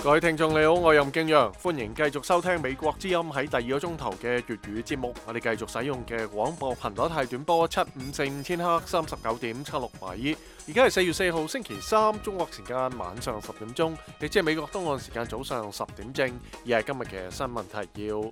各位聽眾你好，我係任敬陽，歡迎繼續收聽美國之音喺第二個鐘頭嘅粵語節目。我哋繼續使用嘅廣播頻率係短波7545千赫39.76米。而家係4月4號星期三，中國時間晚上10點鐘，亦即係美國東岸時間早上10點正。而係今日嘅新聞提要。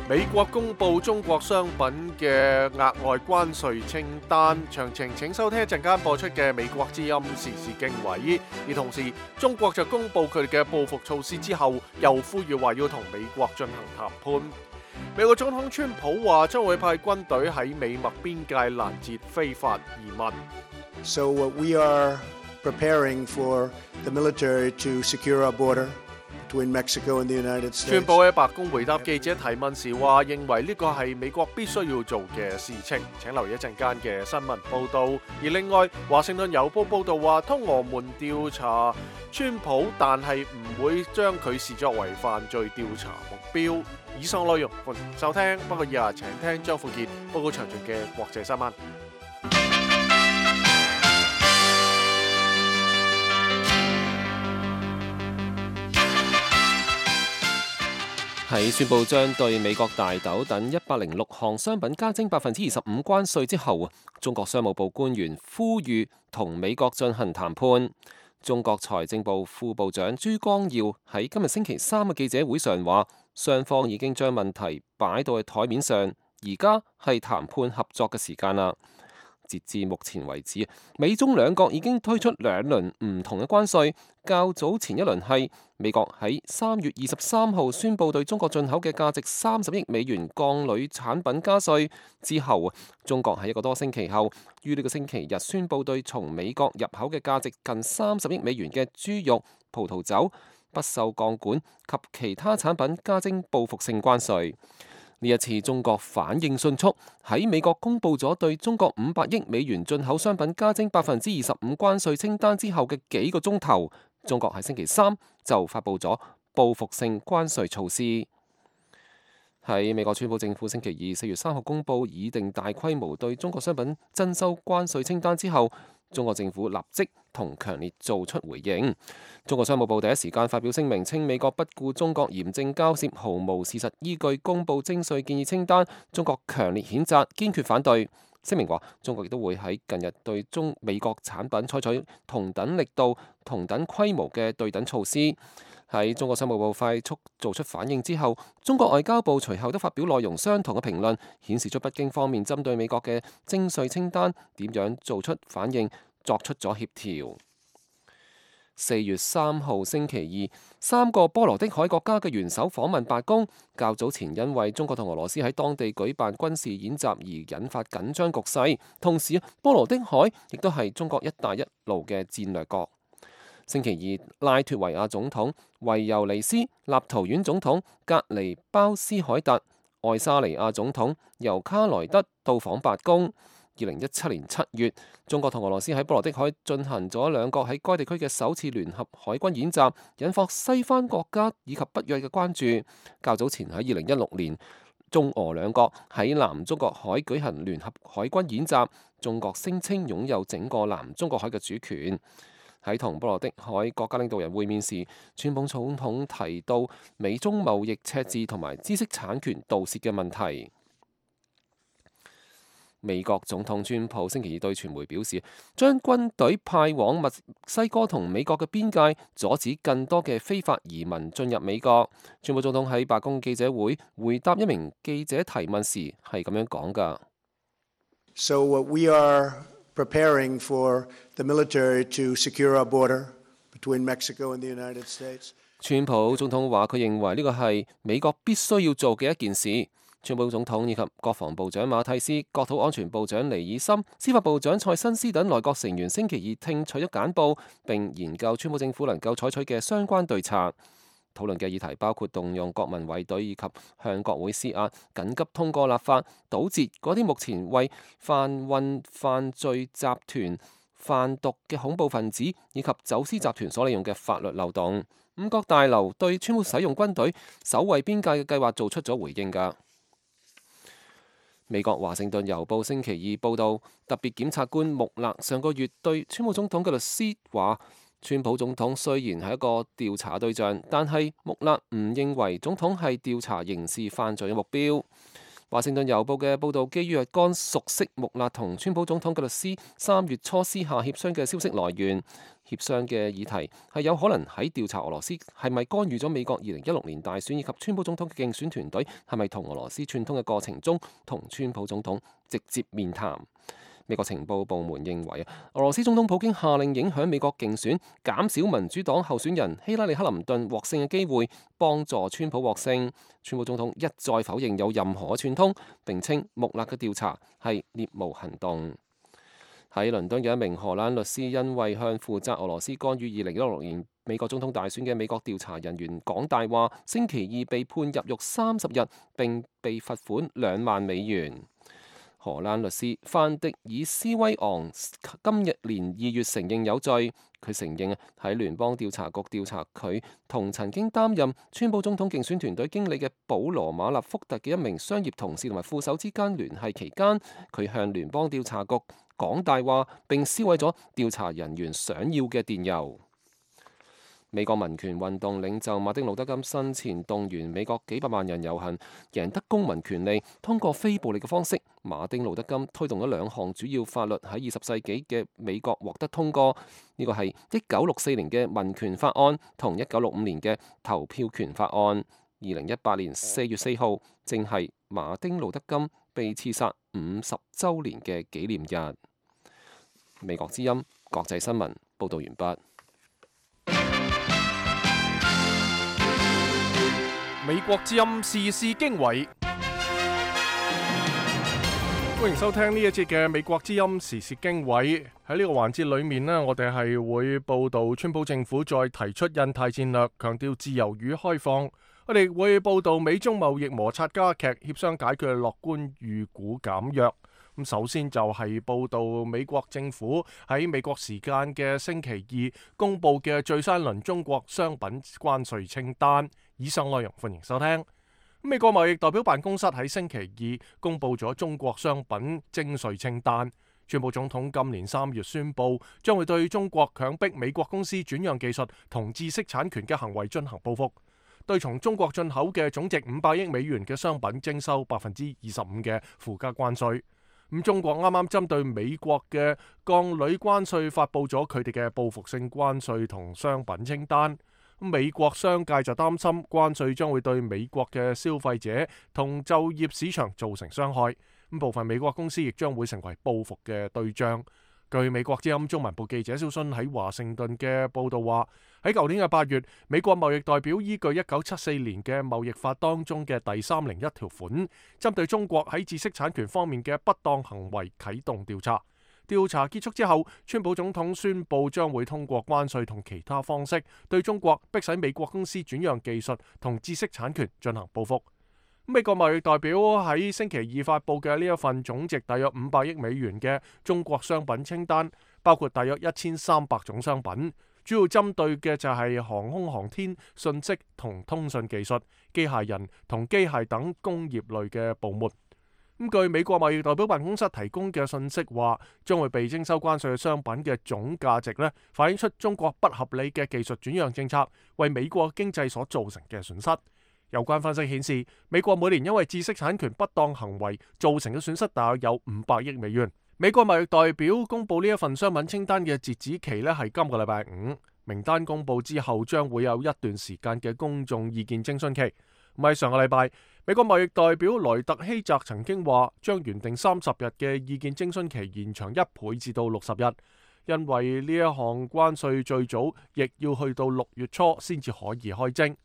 美國公布中國商品嘅額外關稅清單，詳情請收聽一陣間播出嘅美國之音時事經緯。而同時，中國就公布佢哋嘅報復措施之後，又呼籲話要同美國進行談判。美國總統川普話將會派軍隊喺美墨邊界攔截非法移民。So we are preparing for the military to secure our border.Between Mexico and the United States. 川普喺白宮回答記者提問時話，認為呢個係美國必須要做嘅事情。請留意一陣間嘅新聞報導。而另外，華盛頓郵報報導話，通俄門調查川普，但係唔會將佢視作為犯罪調查目標。以上內容歡迎收聽，不過以下請聽張富傑報告詳盡嘅國際新聞。喺宣布將對美國大豆等106項商品加徵25%關稅之後，中國商務部官員呼籲同美國進行談判。中國財政部副部長朱光耀喺今日星期三嘅記者會上話，雙方已經將問題擺到喺台面上，而家係談判合作嘅時間啦。截至目前為止，美中兩國已經推出兩輪唔同嘅關稅。較早前一輪係美國喺3月23號宣布對中國進口嘅價值30億美元鋼鋁產品加稅之後，中國喺一個多星期後，於呢個星期日宣布對從美國入口嘅價值近30億美元嘅豬肉、葡萄酒、不鏽鋼管及其他產品加徵報復性關稅。呢一次中國反應迅速，喺美國公布咗對中國500億美元進口商品加徵25%關稅清單之後嘅幾個鐘頭，中國喺星期三就發布咗報復性關稅措施。喺美國川普政府星期二4月3號公布擬定大規模對中國商品徵收關稅清單之後，中國政府立即同強烈做出回應。中國商務部第一時間發表聲明，稱美國不顧中國嚴正交涉，毫無事實依據公布徵稅建議清單，中國強烈譴責，堅決反對。聲明話，中國亦都會喺近日對美國產品採取同等力度、同等規模嘅對等措施。喺中國商務部快速做出反應之後，中國外交部隨後都發表內容相同嘅評論，顯示出北京方面針對美國嘅徵稅清單點樣做出反應，作出咗協調。4月3號星期二，3個波羅的海國家嘅元首訪問白宮。較早前因為中國同俄羅斯喺當地舉辦軍事演習而引發緊張局勢，同時波羅的海亦都係中國一帶一路嘅戰略國。星期二，拉脫維亞總統維尤尼斯、立陶宛總統格尼鮑斯凱特、愛沙尼亞總統尤卡萊德到訪白宮。2017年7月，中國同俄羅斯喺波羅的海進行咗兩國喺該地區嘅首次聯合海軍演習，引發西方國家以及北約嘅關注。較早前喺2016年，中俄兩國喺南中國海舉行聯合海軍演習，中國聲稱擁有整個南中國海嘅主權。喺同波羅的海國家領導人會面時，川普總統提到美中貿易赤字同埋知識產權盜竊嘅問題。美國總統川普星期二對傳媒表示，將軍隊派往墨西哥同美國嘅邊界，阻止更多嘅非法移民進入美國。川普總統喺白宮記者會回答一名記者提問時係咁樣講㗎。So we are preparing for the military to secure our border between Mexico and the United States. 川普總統話：佢認為呢個係美國必須要做嘅一件事。川普總統以及國防部長馬蒂斯、國土安全部長尼爾森、司法部長蔡新斯等內閣成員星期二聽取咗簡報，並研究川普政府能夠採取嘅相關對策。討論嘅議題包括動用國民衛隊以及向國會施壓，緊急通過立法，堵截嗰啲目前為販運犯罪集團販毒嘅恐怖分子以及走私集團所利用嘅法律漏洞。五角大樓對川普使用軍隊守衛邊界嘅計劃做出咗回應㗎。美國華盛頓郵報星期二報導，特別檢察官穆勒上個月對川普總統嘅律師話，川普總統雖然係一個調查對象，但係穆勒唔認為總統係調查刑事犯罪嘅目標。華盛頓郵報嘅報導基於若干熟悉穆勒同川普總統嘅律師3月初私下協商嘅消息來源，協商嘅議題係有可能喺調查俄羅斯係咪干預咗美國2016年大選，以及川普總統嘅競選團隊係咪同俄羅斯串通嘅過程中同川普總統直接面談。美國情報部門認為俄羅斯總統普京下令影響美國競選，減少民主黨候選人希拉里克林頓獲勝嘅機會，幫助川普獲勝。川普總統一再否認有任何串通，並稱穆勒嘅調查係獵巫行動。喺倫敦嘅一名荷蘭律師因為向負責俄羅斯干預2016年美國總統大選嘅美國調查人員講大話，星期二被判入獄30日，並被罰款2萬美元。荷蘭律師范迪爾斯威昂今年2月承認有罪，佢承認喺聯邦調查局調查佢同曾經擔任川普總統競選團隊經理嘅保羅馬納福特嘅一名商業同事同埋副手之間聯繫期間，佢向聯邦調查局講大話，並銷毀咗調查人員想要嘅電郵。美國民權運動領袖馬丁路德金生前動員美國幾百萬人遊行，贏得公民權利，通過非暴力嘅方式。馬丁路德金推動咗2項主要法律喺20世紀嘅美國獲得通過，呢個係1964年嘅民權法案同1965年嘅投票權法案。2018年4月4號正係馬丁路德金被刺殺50週年嘅紀念日。美國之音國際新聞報導完畢。美國之音時事經緯，歡迎收聽呢一節嘅美國之音時事經緯。喺呢個環節裏面呢，我哋係會報導川普政府再提出印太戰略，強調自由與開放。我哋會報導美中貿易摩擦加劇，協商解決樂觀預估減弱。咁首先就係報導美國政府喺美國時間嘅星期二公佈嘅最新一輪中國商品關稅清單。以上內容歡迎收聽。美國貿易代表辦公室喺星期二公佈咗中國商品徵稅清單。川普總統今年3月宣布，將會對中國強迫美國公司轉讓技術同知識產權嘅行為進行報復，對從中國進口嘅總值500億美元嘅商品徵收25%嘅附加關稅。咁中國啱啱針對美國嘅鋼鋁關稅發布咗佢哋嘅報復性關稅同商品清單。美國商界就擔心關稅將會對美國嘅消費者同就業市場造成傷害，咁部分美國公司亦將會成為報復嘅對象。據美國之音中文部記者小信喺華盛頓嘅報導話，喺舊年嘅8月，美國貿易代表依據1974年嘅貿易法當中嘅第301條款，針對中國喺知識產權方面嘅不當行為啟動調查。調查結束之後，川普總統宣布將會通過關稅同其他方式對中國迫使美國公司轉讓技術同知識產權進行報復。美國貿易代表喺星期二發布嘅呢一份總值大約500億美元嘅中國商品清單，包括大約1300種商品，主要針對嘅就係航空航天、信息同通訊技術、機械人同機械等工業類嘅部門。據美國貿易代表辦公室提供嘅信息話，將會被徵收關稅嘅商品嘅總價值反映出中國不合理嘅技術轉讓政策為美國經濟所造成嘅損失。有關分析顯示，美國每年因為知識產權不當行為造成嘅損失大約有500億美元。美國貿易代表公布呢一份商品清單嘅截止期係今個禮拜5，名單公布之後將會有一段時間嘅公眾意見徵詢期。喺上個禮拜，美國貿易代表萊特希澤曾經話，將原定30日嘅意見徵詢期延長1倍至到60日，因為呢一項關稅最早亦要去到6月初先至可以開徵。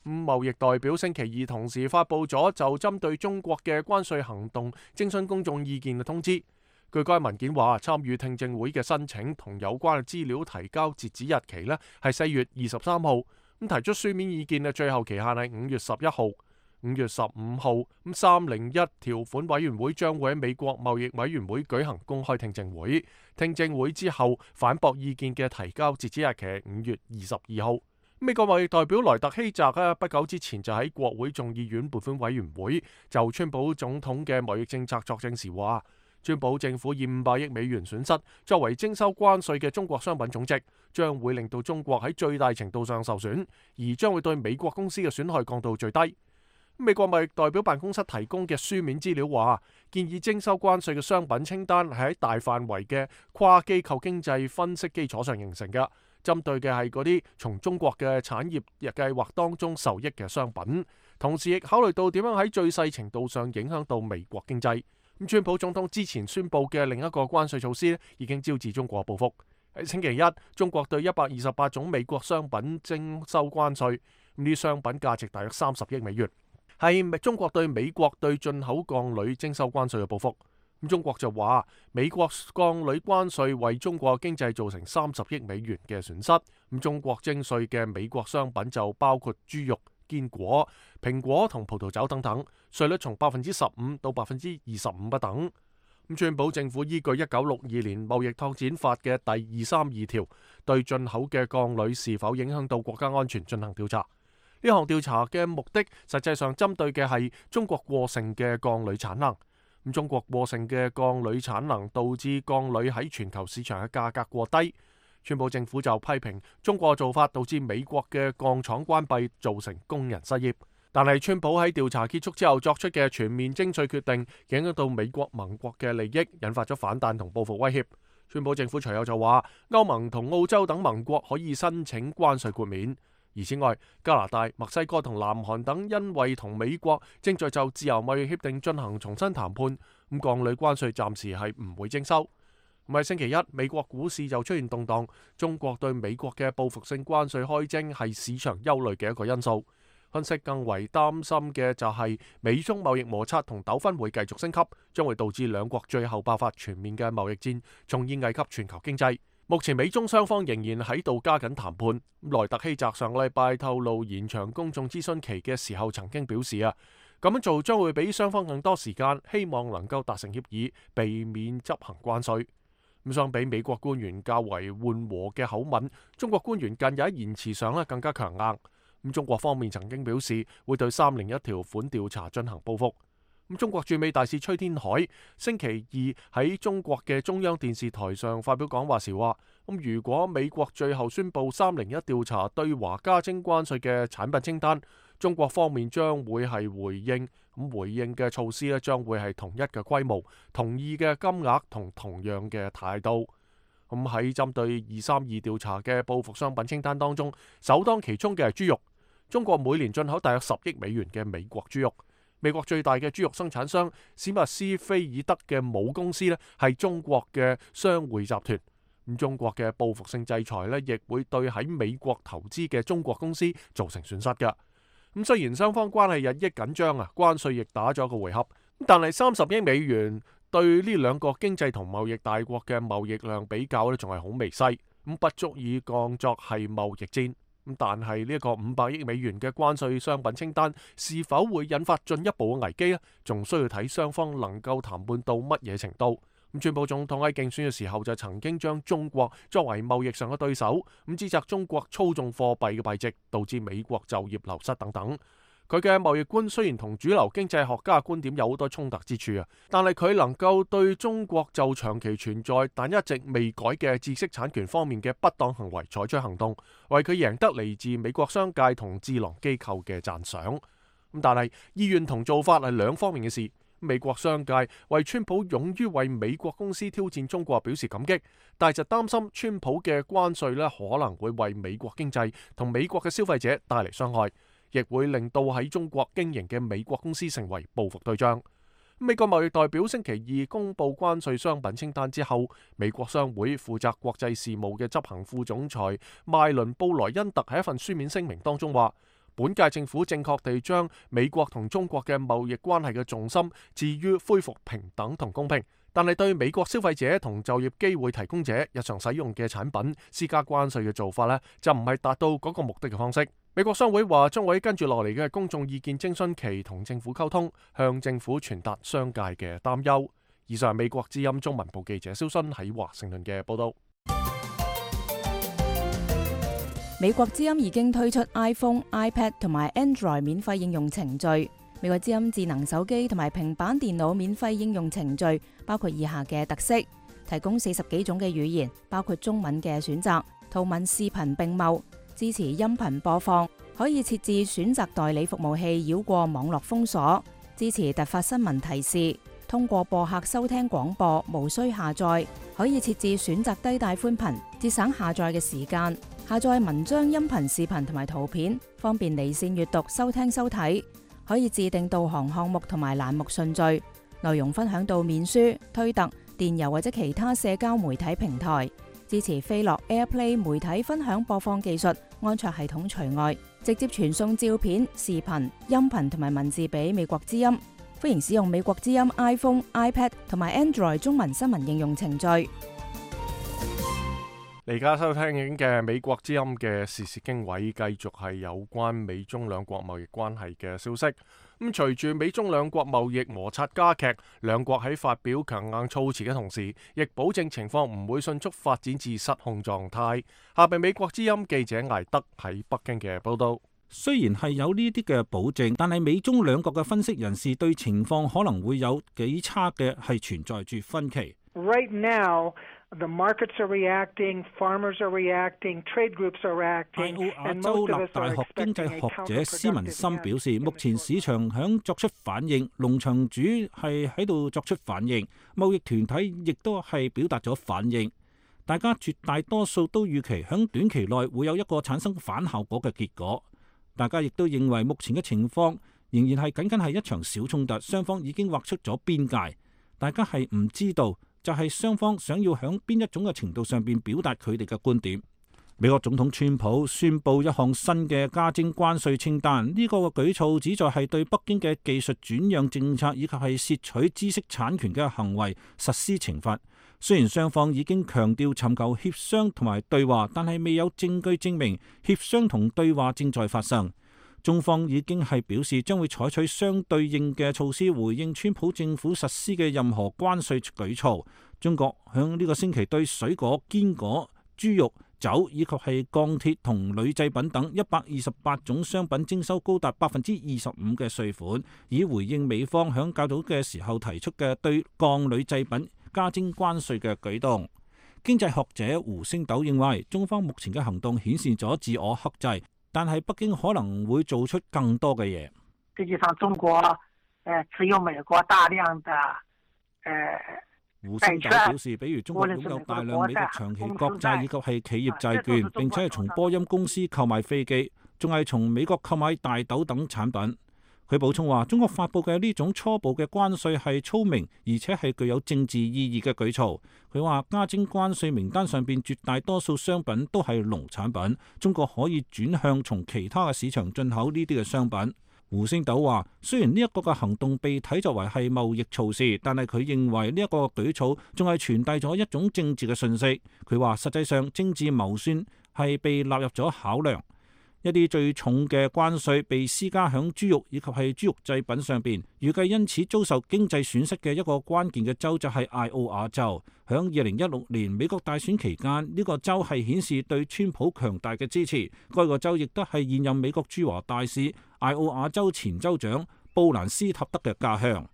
貿易代表星期二同時發布咗就針對中國嘅關稅行動徵詢公眾意見嘅通知。據該文件話，參與聽證會嘅申請同有關嘅資料提交截止日期係4月23號。提出書面意見嘅最後期限係5月11號。5月15號，301條款委員會將會喺美國貿易委員會舉行公開聽證會。聽證會之後反駁意見嘅提交截止日期係5月22號。美國貿易代表萊特希澤不久之前就喺國會眾議院撥款委員會就川普總統嘅貿易政策作證時話，川普政府以500億美元損失作為徵收關稅嘅中國商品總值，將會令到中國喺最大程度上受損，而將會對美國公司嘅損害降到最低。美國貿易代表辦公室提供嘅書面資料話，建議徵收關稅嘅商品清單係喺大範圍嘅跨機構經濟分析基礎上形成嘅，針對嘅係嗰啲從中國嘅產業計劃當中受益嘅商品，同時亦考慮到點樣喺最細程度上影響到美國經濟。川普總統之前宣布嘅另一個關稅措施已經招致中國報復。喺星期一，中國對128種美國商品徵收關稅，呢啲商品價值大約30億美元，係中國對美國對進口鋼鋁徵收關稅嘅報復。中國就話美國鋼鋁關稅為中國經濟造成30億美元嘅損失。中國徵稅嘅美國商品就包括豬肉、堅果、蘋果同葡萄酒等等，稅率從15%到25%不等。川普政府依據1962年貿易拓展法嘅第232條，對進口嘅鋼鋁是否影響到國家安全進行調查。呢項調查嘅目的實際上針對嘅係中國過剩嘅鋼鋁產能。中國過剩嘅鋼鋁產能導致鋼鋁喺全球市場嘅價格過低。川普政府就批評中國嘅做法導致美國嘅鋼廠關閉，造成工人失業。但係川普喺調查結束之後作出嘅全面徵稅決定，影響到美國盟國嘅利益，引發咗反彈同報復威脅。川普政府隨後就話，歐盟同澳洲等盟國可以申請關稅豁免。而此外，加拿大、墨西哥同南韓等因為同美國正在就自由貿易協定進行重新談判，鋼鋁關稅暫時係唔會徵收。喺星期一，美國股市就出現動盪，中國對美國嘅報復性關稅開徵係市場憂慮嘅一個因素。分析更為擔心嘅就係美中貿易摩擦同糾紛會繼續升級，將會導致兩國最後爆發全面嘅貿易戰，從而危及全球經濟。目前美中雙方仍然喺度加緊談判。萊特希澤上個禮拜透露延長公眾諮詢期嘅時候，曾經表示咁樣做將會俾雙方更多時間，希望能夠達成協議，避免執行關稅。相比美國官員較為緩和嘅口吻，中國官員近日喺言辭上更加強硬。中國方面曾經表示會對301條款調查進行報復。中國駐美大使崔天凱星期二喺中國嘅中央電視台上發表講話時話，如果美國最後宣布301調查對華加徵關稅嘅產品清單，中國方面將會係回應，回應嘅措施將會係同一嘅規模、同意嘅金額同同樣嘅態度。喺針對232調查嘅報復商品清單當中，首當其衝嘅係豬肉。中國每年進口大約10億美元嘅美國豬肉。美國最大嘅豬肉生產商史密斯菲爾德嘅母公司係中國嘅商匯集團。中國嘅報復性制裁亦會對喺美國投資嘅中國公司造成損失㗎。雖然雙方關係日益緊張關稅亦打咗個回合，但係30億美元對呢兩個經濟同貿易大國嘅貿易量比較仲係好微細，不足以降作係貿易戰。但係呢一個500億美元嘅關稅商品清單是否會引發進一步嘅危機仲需要睇雙方能夠談判到乜嘢程度。川普總統喺競選嘅時候就曾經將中國作為貿易上嘅對手，指責中國操縱貨幣嘅幣值，導致美國就業流失等等。佢嘅貿易觀雖然同主流經濟學家嘅觀點有好多衝突之處但係佢能夠對中國就長期存在但一直未改嘅知識產權方面嘅不當行為採取行動，為佢贏得嚟自美國商界同智囊機構嘅讚賞。但係意願同做法係兩方面嘅事。美國商界為川普勇於為美國公司挑戰中國表示感激，但係就擔心川普嘅關稅可能會為美國經濟同美國嘅消費者帶嚟傷害，亦會令到喺中國經營嘅美國公司成為報復對象。美國貿易代表星期二公布關稅商品清單之後，美國商會負責國際事務嘅執行副總裁邁倫布萊恩特喺一份書面聲明當中話，本屆政府正確地將美國同中國嘅貿易關係嘅重心置於恢復平等同公平，但係對美國消費者同就業機會提供者日常使用嘅產品施加關稅嘅做法就唔係達到嗰個目的嘅方式。美國商會話將會跟住落嚟嘅公眾意見徵詢期同政府溝通，向政府傳達商界嘅擔憂。以上係美國之音中文部記者蕭新喺華盛頓嘅報道。美國之音已經推出 iPhone、iPad 同埋 Android 免費應用程序。美國之音智能手機同埋平板電腦免費應用程序包括以下嘅特色：提供40幾種嘅語言，包括中文嘅選擇，圖文視頻並茂，支持音頻播放，可以設置選擇代理服務器繞過網絡封鎖，支持突發新聞提示，通過播客收聽廣播，無需下載，可以設置選擇低帶寬頻，節省下載嘅時間，下載文章、音頻、視頻同埋圖片，方便離線閱讀、收聽收睇。可以自定導航項目同埋欄目順序，內容分享到面書、推特、電郵或者其他社交媒體平台，支持飛樂 AirPlay 媒體分享播放技術，安卓系統除外，直接傳送照片、視頻、音頻同埋文字俾美國之音。歡迎使用美國之音 iPhone、iPad 同埋 Android 中文新聞應用程序。你而家收聽緊嘅美國之音嘅時事經緯，繼續係有關美中兩國貿易關係嘅消息。咁隨住美中兩國貿易摩擦加劇，兩國喺發表強硬措辭嘅同時，亦保證情況唔會迅速發展至失控狀態。下邊美國之音記者艾德喺北京嘅報道。雖然係有呢啲嘅保證，但係美中兩國嘅分析人士對情況可能會有幾差嘅係存在住分歧。Right now, the markets are reacting, farmers are reacting, trade groups are reacting. 艾奧亞州立大學經濟學者施文森表示，目前市場響作出反應，農場主係喺度作出反應，貿易團體亦都係表達咗反應。大家絕大多數都預期響短期內會有一個產生反效果嘅結果。大家亦都認為目前嘅情況仍然係僅僅係一場小衝突，雙方已經劃出咗邊界。大家係唔知道，就係雙方想要響邊一種嘅程度上邊表達佢哋嘅觀點。美國總統川普宣布一項新嘅加徵關稅清單，呢個嘅舉措旨在係對北京嘅技術轉讓政策以及係竊取知識產權嘅行為實施懲罰。雖然雙方已經強調尋求協商同埋對話，但係未有證據證明協商同對話正在發生。中方已經係表示將會採取相對應嘅措施回應川普政府實施嘅任何關稅舉措。中國響呢個星期對水果、堅果、豬肉、酒以及係鋼鐵同鋁製品等128種商品徵收高達25%嘅稅款，以回應美方響較早嘅時候提出嘅對鋼鋁製品加徵關稅嘅舉動。經濟學者胡星斗認為，中方目前嘅行動顯示咗自我克制，但係北京可能會做出更多嘅嘢。實際上，中國持有美國大量的胡星斗表示，比如中國擁有大量美國長期國債以及係企業債券，並且係從波音公司購買飛機，仲係從美國購買大豆等產品。佢補充話，中國發布嘅呢種初步嘅關稅係聰明，而且係具有政治意義嘅舉措。佢話加徵關稅名單上邊絕大多數商品都係農產品，中國可以轉向從其他嘅市場進口呢啲嘅商品。胡星斗話，雖然呢一個嘅行動被睇作為係貿易措施，但係佢認為呢一個舉措仲係傳遞咗一種政治嘅訊息。佢話實際上政治謀算係被納入咗考量。一啲最重嘅關稅被施加響豬肉以及係豬肉製品上邊，預計因此遭受經濟損失嘅一個關鍵嘅州就係艾奧瓦州。響2016年美國大選期間，呢個州係顯示對川普強大嘅支持。該個州亦都係現任美國駐華大使艾奧瓦州前州長布蘭斯塔德嘅家鄉。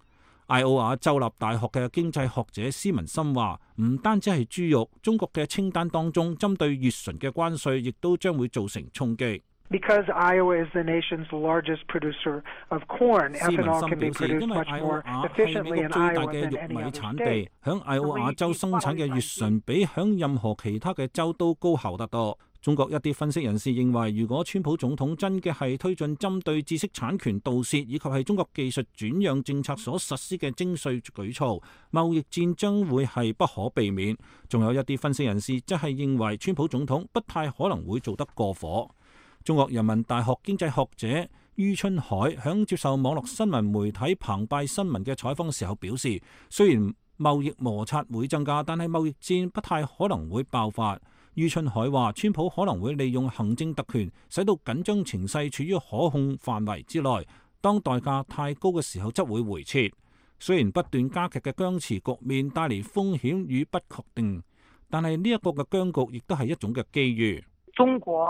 艾奧瓦州立大學嘅經濟學者施文森話，唔單止係豬肉，中國嘅清單當中針對乙醇嘅關稅亦都將會造成衝擊。Because Iowa is the nation's largest producer of corn, ethanol can be produced much more efficiently in Iowa than any other state. 響艾奧瓦州生產嘅乙醇比響任何其他嘅州都高效得多。中國一啲分析人士認為，如果川普總統真嘅係推進針對知識產權盜竊以及係中國技術轉讓政策所實施嘅徵稅舉措，貿易戰將會係不可避免。仲有一啲分析人士則係認為，川普總統不太可能會做得過火。中國人民大學經濟學者于春海響接受網絡新聞媒體澎湃新聞嘅採訪時候表示，雖然貿易摩擦會增加，但係貿易戰不太可能會爆發。于春海話，川普可能會利用行政特權，使到緊張情勢處於可控範圍之內，當代價太高嘅時候則會回撤。雖然不斷加劇嘅僵持局面帶嚟風險與不確定，但係呢一個嘅僵局亦都係一種嘅機遇。中國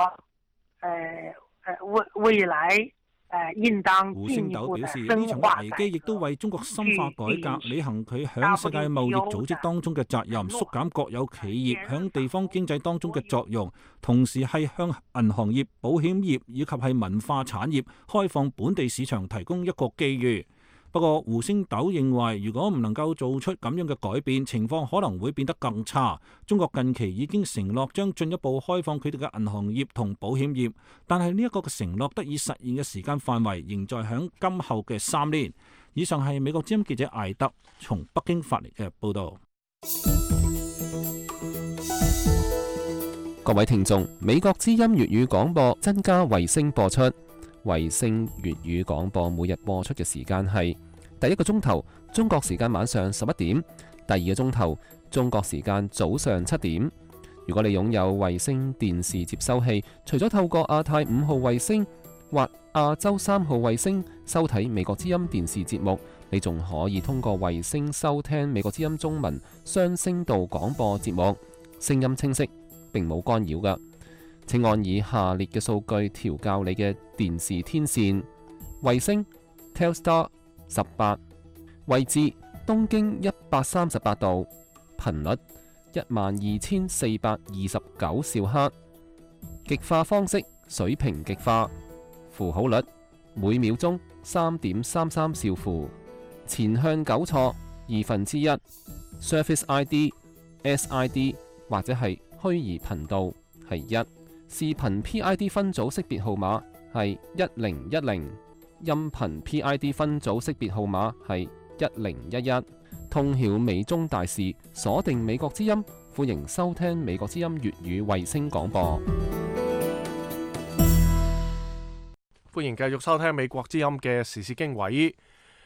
未來應當胡星斗表示，呢場危機亦都為中國深化改革、履行佢響世界貿易組織當中嘅責任、縮減國有企業響地方經濟當中嘅作用，同時係向銀行業、保險業以及係文化產業開放本地市場提供一個機遇。不過，胡星斗認為，如果唔能夠做出咁樣嘅改變，情況可能會變得更差。中國近期已經承諾將進一步開放佢哋嘅銀行業同保險業，但係呢一個嘅承諾得以實現嘅時間範圍仍在響今後嘅3年。以上係美國之音記者艾德從北京發嚟嘅報導。各位聽眾，美國之音粵語廣播增加衛星播出。衛星粵語廣播每日播出嘅時間係第一個鐘頭中國時間晚上11點，第二個鐘頭中國時間早上7點。如果你擁有衛星電視接收器，除咗透過亞太5號衛星或亞洲3號衛星收睇美國之音電視節目，你仲可以通過衛星收聽美國之音中文雙聲道廣播節目，聲音清晰，並冇干擾㗎。請按以下列嘅數據調校你嘅電視天線：衛星 Telstar 18，位置東經138度，頻率12429兆赫，極化方式水平極化，符號率每秒鐘3.33兆符，前向糾錯1/2， Surface ID、SID 或者係虛擬頻道係1。視頻 PID 分組識別號碼係1010，音頻 PID 分組識別號碼係1011。通曉美中大事，鎖定美國之音，歡迎收聽美國之音粵語衛星廣播。歡迎繼續收聽美國之音嘅時事經緯。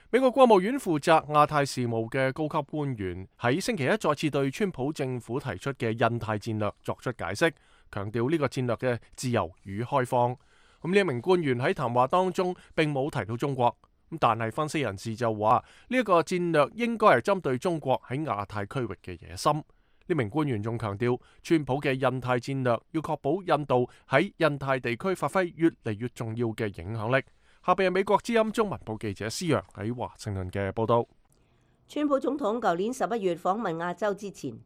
美國國務院負責亞太事務嘅高級官員喺星期一再次對川普政府提出嘅印太戰略作出解釋，強調呢個戰略嘅自由與開放。呢一名官員喺談話當中並冇提到中國，但係分析人士就話呢一個戰略應該係針對中國喺亞太區域嘅野心。呢名官員仲強調，川普嘅印太戰略要確保印度喺印太地區發揮越嚟越重要嘅影響力。下邊係美國之音中文部記者施陽喺華盛頓嘅報道。川普總統舊年11月訪問亞洲之前，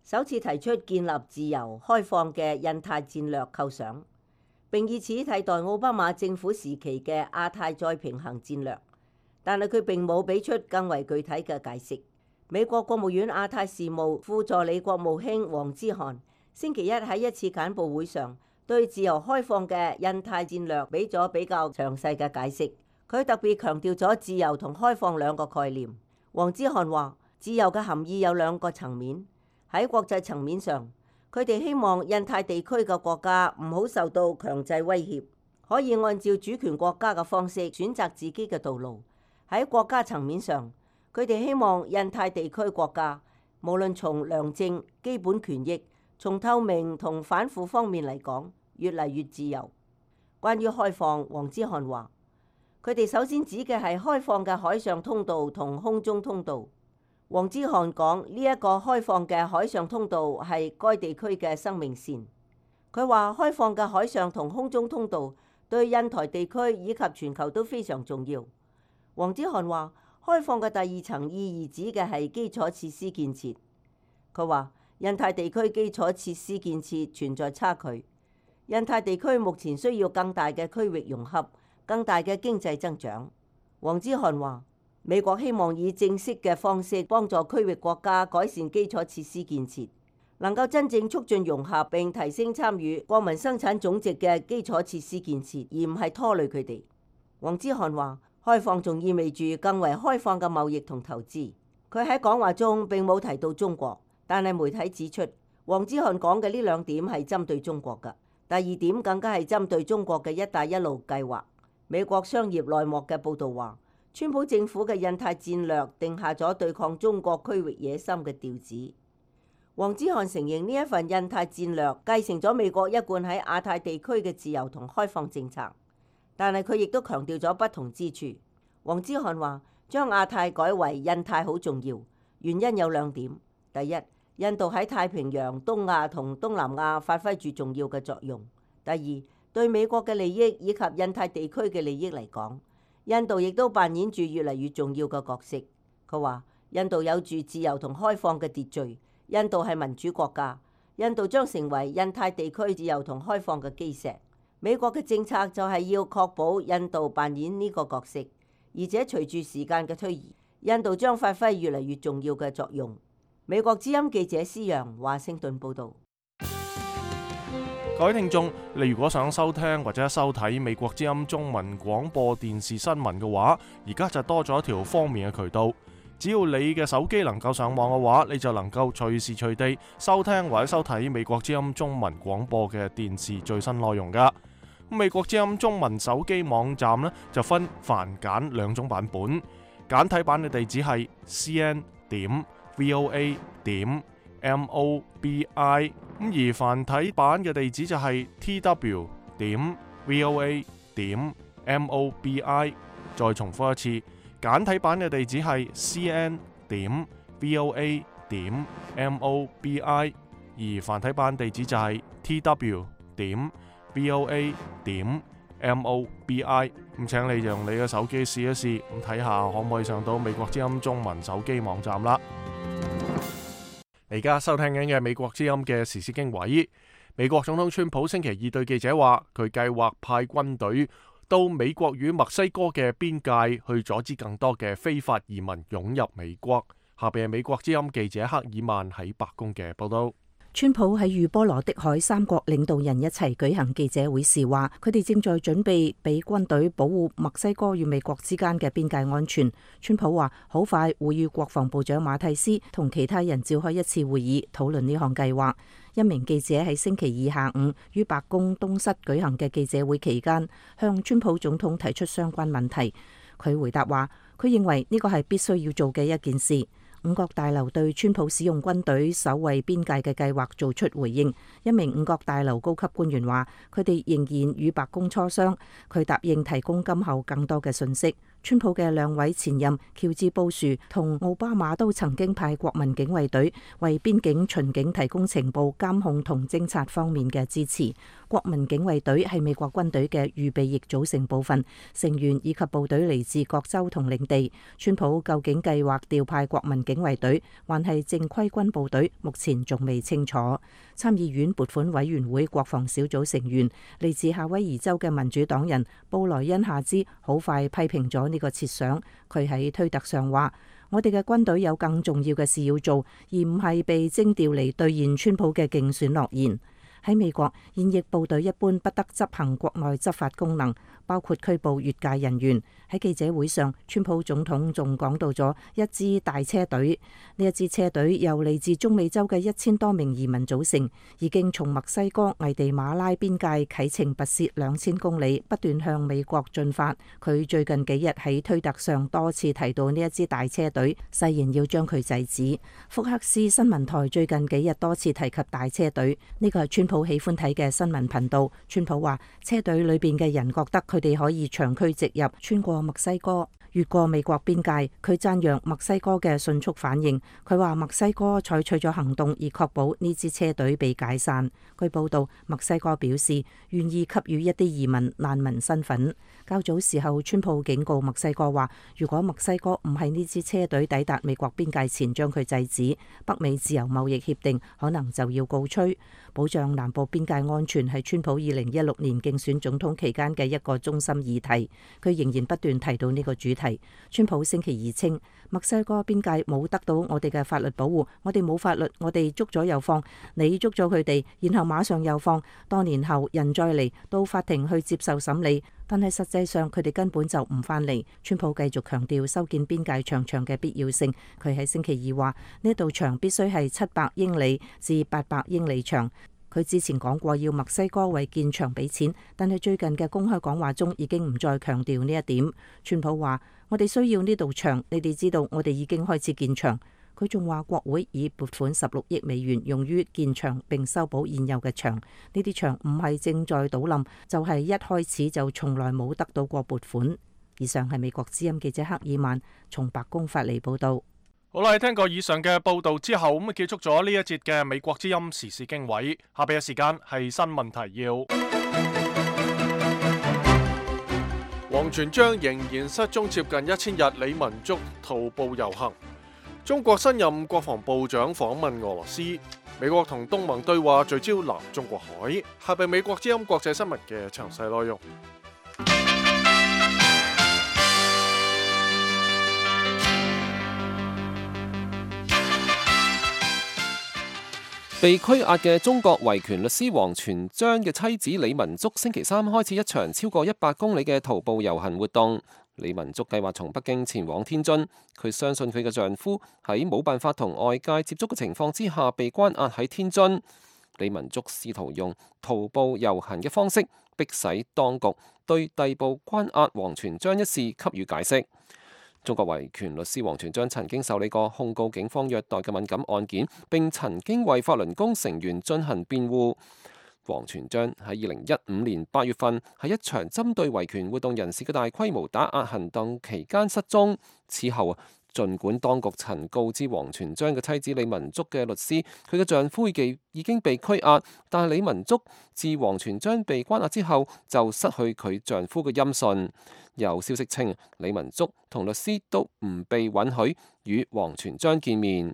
首次提出建立自由開放嘅印太戰略構想，並以此替代奧巴馬政府時期嘅亞太再平衡戰略，但係佢並冇俾出更為具體嘅解釋。美國國務院亞太事務副助理國務卿黃之涵星期一喺一次簡報會上，對自由開放嘅印太戰略俾咗比較詳細嘅解釋。佢特別強調咗自由同開放兩個概念。黃之涵話，自由嘅含義有兩個層面。喺國際層面上，佢哋希望印太地區嘅國家唔好受到強制威脅，可以按照主權國家嘅方式選擇自己嘅道路。喺國家層面上，佢哋希望印太地區國家無論從良政、基本權益、從透明同反腐方面嚟講，越嚟越自由。關於開放，黃之涵話，佢哋首先指嘅係開放嘅海上通道同空中通道。黃之涵講，呢一個開放嘅海上通道係該地區嘅生命線。佢話開放嘅海上同空中通道對印太地區以及全球都非常重要。黃之涵話，開放嘅第二層意義指嘅係基礎設施建設。佢話印太地區基礎設施建設存在差距，印太地區目前需要更大嘅區域融合，更大嘅經濟增長。黃之涵話，美國希望以正式嘅方式幫助區域國家改善基礎設施建設，能夠真正促進融合並提升參與國民生產總值嘅基礎設施建設，而唔係拖累佢哋。黃之涵話，開放仲意味住更為開放嘅貿易同投資。佢喺講話中並冇提到中國，但係媒體指出，黃之涵講嘅呢兩點係針對中國嘅。第二點更加係針對中國嘅一帶一路計劃。美國商業內幕嘅報導話，川普政府嘅印太戰略定下咗對抗中國區域野心嘅調子。黃之涵承認呢一份印太戰略繼承咗美國一貫喺亞太地區嘅自由同開放政策，但係佢亦都強調咗不同之處。黃之涵話，將亞太改為印太好重要，原因有兩點。第一，印度喺太平洋、東亞同東南亞發揮住重要嘅作用。第二，對美國嘅利益以及印太地區嘅利益嚟講，印度亦都扮演住越嚟越重要嘅角色。佢話：印度有住自由同開放嘅秩序，印度係民主國家，印度將成為印太地區自由同開放嘅基石。美國嘅政策就係要確保印度扮演呢個角色，而且隨住時間嘅推移，印度將發揮越嚟越重要嘅作用。美國之音記者施陽華盛頓報導。各位聽眾，你如果想收聽或者收睇美國之音中文廣播電視新聞嘅話，而家就多咗一條方便嘅渠道。只要你嘅手機能夠上網嘅話，你就能夠隨時隨地收聽或者收睇美國之音中文廣播嘅電視最新內容噶。美國之音中文手機網站呢，就分繁簡兩種版本，簡體版嘅地址係 cn.voa.mobi， 而繁體版嘅地址就係 tw.voa.mobi。 再重複一次，簡體版嘅地址係 cn.voa.mobi， 而繁體版地址就係 tw.voa.mobi。 咁請你用你嘅手機試一試，咁睇下可唔可以上到美國之音中文手機網站啦。而家收聽緊嘅美國之音嘅時事經緯，美國總統川普星期二對記者話，佢計劃派軍隊到美國與墨西哥嘅邊界，去阻止更多嘅非法移民湧入美國。下邊係美國之音記者克爾曼喺白宮嘅報道。川普喺與波羅的海三國領導人一齊舉行記者會時話，佢哋正在準備俾軍隊保護墨西哥與美國之間嘅邊界安全。川普話好快會與國防部長馬蒂斯同其他人召開一次會議，討論呢項計劃。一名記者喺星期二下午於白宮東室舉行嘅記者會期間，向川普總統提出相關問題。佢回答話，佢認為呢個係必須要做嘅一件事。五角大樓對川普使用軍隊守衛邊界嘅計劃做出回應。一名五角大樓高級官員話，佢哋仍然與白宮磋商，佢答應提供今後更多嘅信息。川普嘅兩位前任喬治布殊同奧巴馬都曾經派國民警衛隊為邊境巡警提供情報、監控同偵察方面嘅支持。國民警衛隊係美國軍隊嘅預備役組成部分，成員以及部隊嚟自各州同領地。川普究竟計劃調派國民警衛隊還係正規軍部隊，目前仲未清楚。參議院撥款委員會國防小組成員嚟自夏威夷州嘅民主黨人布萊恩夏茲好快批評咗呢個設想。佢喺推特上話，我哋嘅軍隊有更重要嘅事要做，而唔係被徵調嚟兌現川普嘅競選諾言。喺美國，現役部隊一般不得執行國內執法功能，包括拘捕越界人員。喺記者會上，川普總統仲講到咗一支大車隊。呢一支車隊由嚟自中美洲嘅1000多名移民組成，已經從墨西哥危地馬拉邊界啟程跋涉2000公里，不斷向美國進發。佢最近幾日喺推特上多次提到呢一支大車隊，誓言要將佢制止。福克斯新聞台最近幾日多次提及大車隊，呢個係川普喜歡睇嘅新聞頻道。川普話車隊裏邊嘅人覺得佢哋可以長驅直入，穿過墨西哥，越過美國邊界。佢讚揚墨西哥嘅迅速反應。佢話墨西哥採取咗行動，以確保呢支車隊被解散。據報道，墨西哥表示願意給予一啲移民難民身份。較早時候，川普警告墨西哥話，如果墨西哥唔係呢支車隊抵達美國邊界前將佢制止，北美自由貿易協定可能就要告吹。保障南部邊界安全係川普2016年競選總統期間嘅一個中心議題。佢仍然不斷提到呢個主題。川普星期二稱，墨西哥邊界冇得到我哋嘅法律保護，我哋冇法律，我哋捉咗又放，你捉咗佢哋，然後馬上又放，多年後人再嚟到法庭去接受審理，但係實際上佢哋根本就唔返嚟。川普繼續強調修建邊界長牆嘅必要性。佢喺星期二話，呢道牆必須係700英里至800英里長。佢之前講過要墨西哥為建牆俾錢，但係最近嘅公開講話中已經唔再強調呢一點。川普話，我哋需要呢道牆，你哋知道我哋已經開始建牆。佢仲話國會已撥款16億美元用於建牆並修補現有嘅牆。呢啲牆唔係正在倒冧，就係一開始就從來冇得到過撥款。以上係美國之音記者克爾曼從白宮發嚟報道。好啦，聽過以上嘅報道之後，咁結束咗呢一節嘅美國之音時事經緯。下邊嘅時間係新聞提要。王全璋仍然失蹤接近1000日，李文足徒步遊行。中國新任國防部長訪問俄羅斯。美國同東盟對話聚焦南中國海。下邊美國之音國際新聞嘅詳細內容。被拘押嘅中國維權律師王全璋嘅妻子李文足星期三開始一場超過100公里嘅徒步遊行活動。李文足計劃從北京前往天津，佢相信佢嘅丈夫喺冇辦法同外界接觸嘅情況之下被關押喺天津。李文足試圖用徒步遊行嘅方式迫使當局對逮捕關押王全璋一事給予解釋。中國維權律師王全璋曾經受理過控告警方虐待嘅敏感案件，並曾經為法輪功成員進行辯護。王全璋喺2015年8月份喺一場針對維權活動人士嘅大規模打壓行動期間失蹤。此後，儘管當局曾告知王全璋嘅妻子李文足嘅律師，佢嘅丈夫已經被拘押，但係李文足自王全璋被關押之後就失去佢丈夫嘅音訊。有消息稱，李文足同律師都唔被允許與王全璋見面。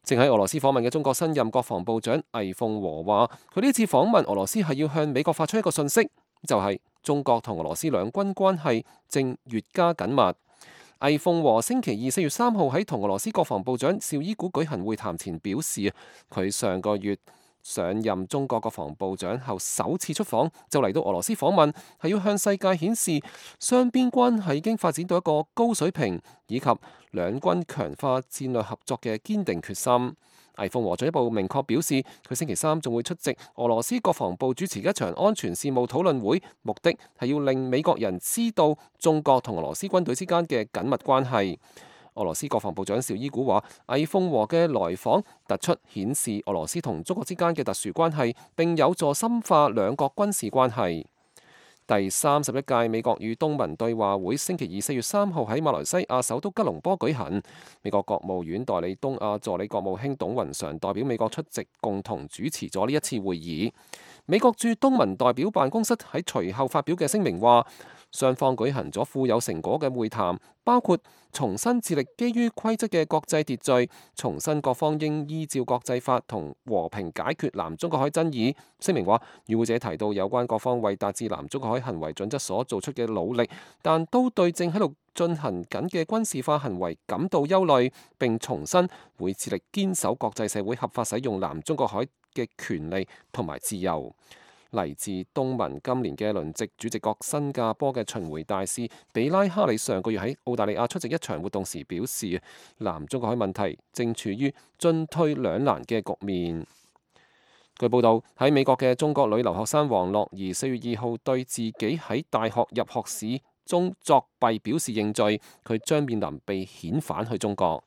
正喺俄羅斯訪問嘅中國新任國防部長魏鳳和話，佢呢次訪問俄羅斯係要向美國發出一個訊息，就係中國同俄羅斯兩軍關係正越加緊密。魏鳳和星期二4月3號喺同俄羅斯國防部長紹伊古舉行會談前表示，佢上個月上任中國國防部長後首次出訪，就嚟到俄羅斯訪問，係要向世界顯示雙邊關係已經發展到一個高水平，以及兩軍強化戰略合作嘅堅定決心。魏鳳和進一步明確表示，佢星期三仲會出席俄羅斯國防部主持嘅一場安全事務討論會，目的係要令美國人知道中國同俄羅斯軍隊之間嘅緊密關係。俄羅斯國防部長紹伊古話，魏鳳和嘅來訪突出顯示俄羅斯同中國之間嘅特殊關係，並有助深化兩國軍事關係。第31屆美國與東盟對話會星期二4月3號喺馬來西亞首都吉隆坡舉行。美國國務院代理東亞助理國務卿董雲常代表美國出席，共同主持咗呢一次會議。美國駐東盟代表辦公室喺隨後發表嘅聲明話，雙方舉行咗富有成果嘅會談，包括重新致力基於規則嘅國際秩序，重申各方應依照國際法同和平解決南中國海爭議。聲明話，與會者提到有關各方為達至南中國海行為準則所做出嘅努力，但都對正喺度進行緊嘅軍事化行為感到憂慮，並重申會致力堅守國際社會合法使用南中國海嘅權利同埋自由。嚟自東盟今年嘅輪值主席國新加坡嘅巡迴大使比拉哈里上個月喺澳大利亞出席一場活動時表示，南中國海問題正處於進退兩難嘅局面。據報道，喺美國嘅中國女留學生王樂儀4月2號對自己喺大學入學試中作弊表示認罪，佢將面臨被遣返去中國。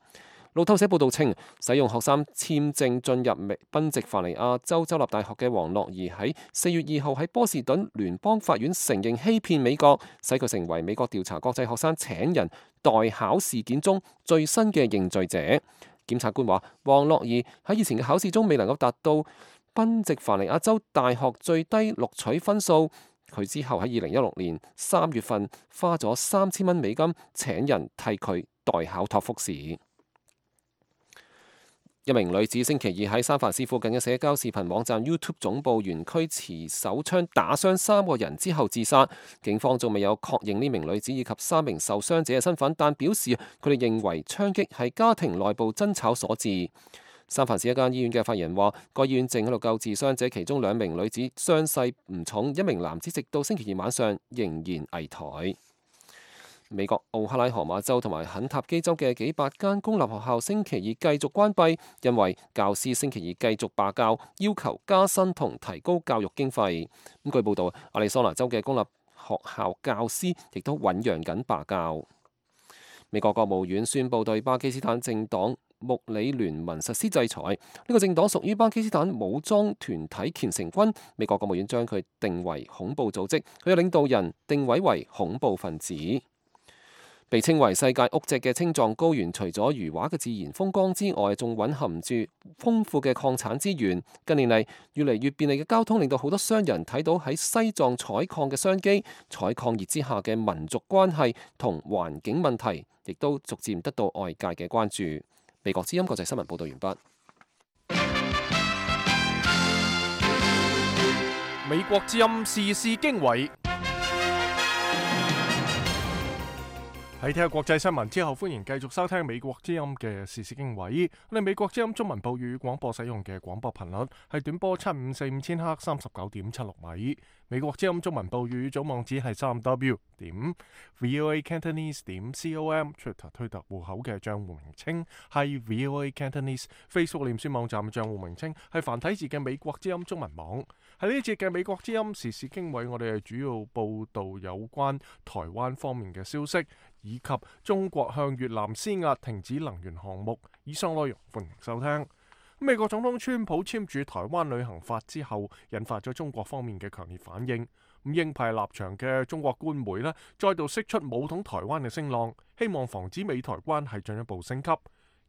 路透社報道稱，使用學生簽證進入賓夕凡尼亞州州立大學嘅王樂儀喺4月2號喺波士頓聯邦法院承認欺騙美國，使佢成為美國調查國際學生請人代考事件中最新嘅認罪者。檢察官話，王樂儀喺以前嘅考試中未能夠達到賓夕凡尼亞州大學最低錄取分數，佢之後喺2016年3月份花咗3000美金請人替佢代考托福試。一名女子星期二喺三藩市附近嘅社交視頻網站 YouTube 總部園區持手槍打傷3個人之後自殺。警方仲未有確認呢名女子以及3名受傷者嘅身份，但表示佢哋認為槍擊係家庭內部爭吵所致。三藩市一間醫院嘅發言人話，該醫院正喺度救治傷者，其中2名女子傷勢唔重，一名男子直到星期二晚上仍然危殆。美國奧克拉荷馬州同埋肯塔基州嘅幾百間公立學校星期二繼續關閉，因為教師星期二繼續罷教，要求加薪同提高教育經費。據報道，亞利桑那州嘅公立學校教師亦都醞釀緊罷教。美國國務院宣布對巴基斯坦政黨穆里聯盟實施制裁，呢個政黨屬於巴基斯坦武裝團體虔誠軍。美國國務院將佢定為恐怖組織，佢嘅領導人定位為恐怖分子。被稱為世界屋脊嘅青藏高原，除咗如畫嘅自然風光之外，仲蘊含住豐富嘅礦產資源。近年嚟，越嚟越便利嘅交通令到好多商人睇到喺西藏採礦嘅商機，採礦熱之下嘅民族關係同環境問題，亦都逐漸得到外界嘅關注。美國之音國際新聞報道完畢。美國之音時事經緯。喺聽下國際新聞之後，歡迎繼續收聽美國之音嘅時事經緯。我哋美國之音中文報語廣播使用嘅廣播頻率係短波7545000赫39.76米。美國之音中文報語總網址係3w.voacantonese.com。推特戶口嘅賬戶名稱係 VOA Cantonese。Facebook 臉書網站嘅賬戶名稱係繁體字嘅美國之音中文網。喺呢一節嘅美國之音時事經緯，我哋係主要報道有關台灣方面嘅消息，以及中國向越南施壓停止能源項目。以上內容歡迎收聽。美國總統川普簽署台灣旅行法之後，引發咗中國方面嘅強烈反應。鷹派立場嘅中國官媒呢，再度釋出武統台灣嘅聲浪，希望防止美台關係進一步升級。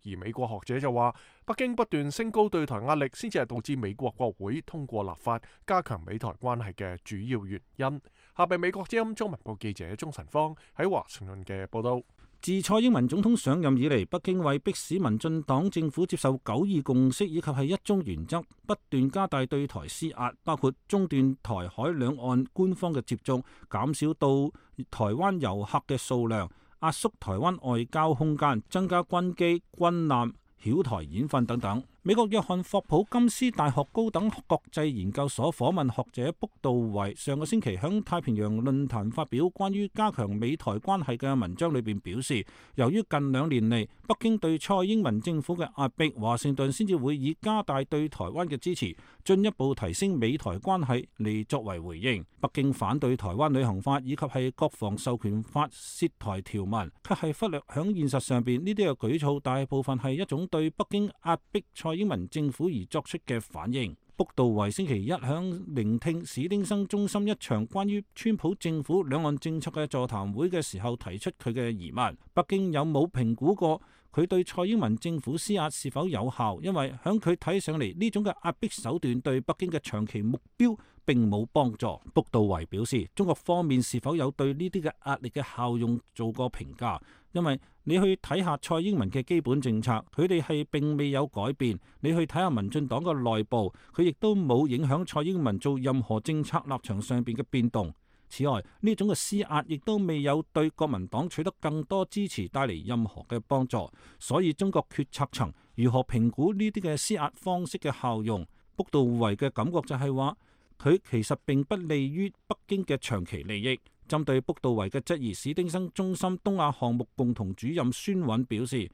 而美國學者就話，北京不斷升高對台壓力，先至係導致美國國會通過立法加強美台關係嘅主要原因。下邊美國之音中文部記者鍾晨芳喺華盛頓嘅報道。自蔡英文總統上任以嚟，北京為迫使民進黨政府接受9·2共識以及係一中原則，不斷加大對台施壓，包括中斷台海兩岸官方嘅接觸，減少到台灣遊客嘅數量，壓縮台灣外交空間，增加軍機、軍艦、曉台演訓等等。美國約翰霍普金斯大學高等國際研究所訪問學者卜道維上個星期響太平洋論壇發表關於加強美台關係嘅文章裏邊表示，由於近2年嚟北京對蔡英文政府嘅壓迫，華盛頓先至會以加大對台灣嘅支持，進一步提升美台關係嚟作為回應。北京反對台灣旅行法以及係國防授權法涉台條文，卻係忽略響現實上邊呢啲嘅舉措，大部分係一種對北京壓迫蔡英文政府而作出嘅反應。卜道維星期一響聆聽史丁生中心一場關於川普政府兩岸政策嘅座談會嘅時候，提出佢嘅疑問：北京有冇評估過佢對蔡英文政府施壓是否有效？因為響佢睇上嚟，呢種嘅壓迫手段對北京嘅長期目標並冇幫助。卜道維表示，中國方面是否有對呢啲嘅壓力嘅效用做過評價？因為你去睇下蔡英文嘅基本政策，佢哋係並未有改變。你去睇下民進黨嘅內部，佢亦都冇影響蔡英文做任何政策立場上邊嘅變動。此外，呢種嘅施壓亦都未有對國民黨取得更多支持帶嚟任何嘅幫助。所以中國決策層如何評估呢啲嘅施壓方式嘅效用？卜道維嘅感覺就係話，佢其實並不利於北京嘅長期利益。針對卜道維嘅質疑，史丁生中心東亞項目共同主任孫韻表示，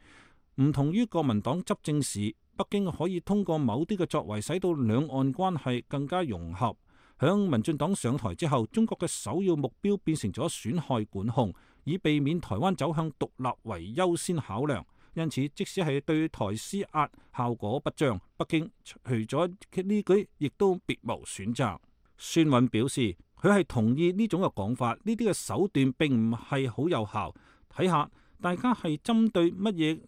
唔同於國民黨執政時，北京可以通過某啲嘅作為，使到兩岸關係更加融合。響民進黨上台之後，中國嘅首要目標變成咗損害管控，以避免台灣走向獨立為優先考量。因此，即使係對台施壓效果不彰，北京除咗呢句，亦都別無選擇。孫韻表示，佢係同意呢種嘅講法，呢啲嘅手段並唔係好有效。睇下大家係針對乜嘢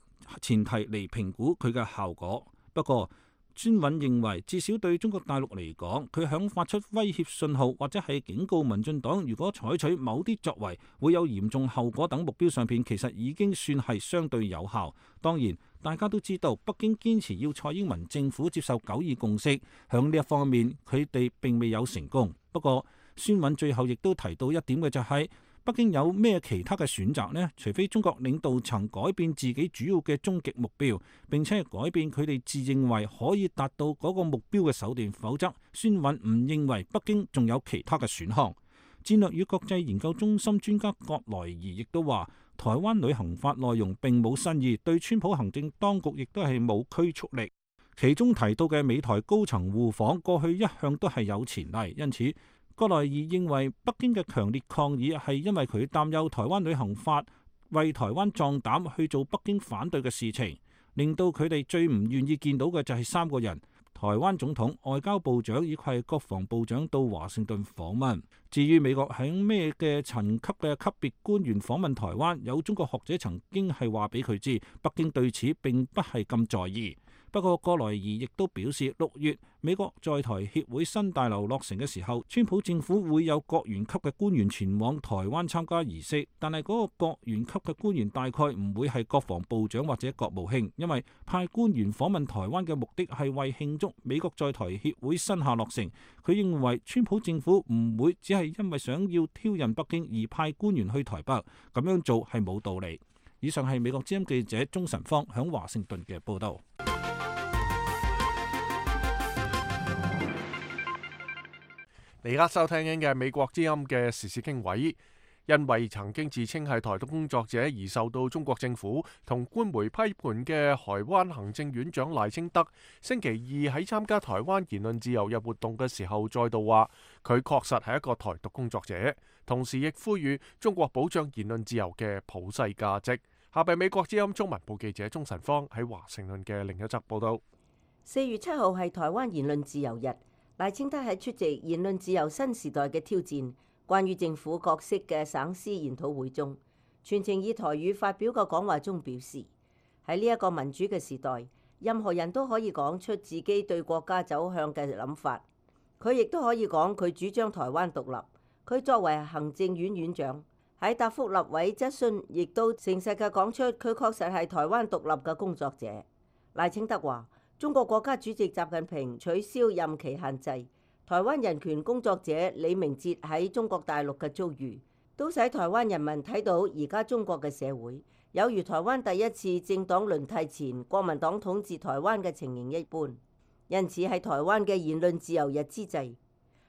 前提嚟評估佢嘅效果。不過孫韻認為，至少對中國大陸嚟講，佢響發出威脅信號或者係警告民進黨，如果採取某啲作為會有嚴重後果等目標上邊，其實已經算係相對有效。當然，大家都知道北京堅持要蔡英文政府接受9·2共識，響呢一方面佢哋並未有成功。不過孫韻最後亦都提到一點嘅就係，北京有咩其他嘅選擇呢？除非中國領導層改變自己主要嘅終極目標，並且係改變佢哋自認為可以達到嗰個目標嘅手段，否則孫韻唔認為北京仲有其他嘅選項。戰略與國際研究中心專家葛萊儀亦都話，台灣旅行法內容並冇新意，對川普行政當局亦都係冇拘束力。其中提到嘅美台高層互訪，過去一向都係有前例，因此葛萊儀認為北京嘅強烈抗議係因為佢擔憂台灣旅行法為台灣壯膽去做北京反對嘅事情，令到佢哋最唔願意見到嘅就係3個人：台灣總統、外交部長以及國防部長到華盛頓訪問。至於美國喺咩嘅層級嘅級別官員訪問台灣，有中國學者曾經係話俾佢知，北京對此並不係咁在意。不過葛萊儀亦都表示，6月美國在台協會新大樓落成嘅時候，川普政府會有國員級嘅官員前往台灣參加儀式，但係嗰個國員級嘅官員大概唔會係國防部長或者國務卿，因為派官員訪問台灣嘅目的係為慶祝美國在台協會新廈落成。佢認為川普政府唔會只係因為想要挑釁北京而派官員去台北，咁樣做係冇道理。以上係美國之音記者鍾晨芳響華盛頓嘅報道。你而家收聽緊嘅美國之音嘅時事經緯，因為曾經自稱係台獨工作者而受到中國政府同官媒批判嘅台灣行政院長賴清德，星期二喺參加台灣言論自由日活動嘅時候，再度話佢確實係一個台獨工作者，同時亦呼籲中國保障言論自由嘅普世價值。下邊美國之音中文部記者鍾晨芳喺華盛頓嘅另一則報道。4月7號係台灣言論自由日。賴清德喺出席言論自由新時代嘅挑戰關於政府角色嘅省思研討會中，全程以台語發表嘅講話中表示，喺呢一個民主嘅時代，任何人都可以講出自己對國家走向嘅諗法。佢亦都可以講佢主張台灣獨立。佢作為行政院院長喺答覆立委質詢，亦都誠實嘅講出佢確實係台灣獨立嘅工作者。賴清德話，中國國家主席習近平取消任期限制，台灣人權工作者李明哲喺中國大陸嘅遭遇，都使台灣人民睇到而家中國嘅社會有如台灣第一次政黨輪替前國民黨統治台灣嘅情形一般。因此喺台灣嘅言論自由日之際，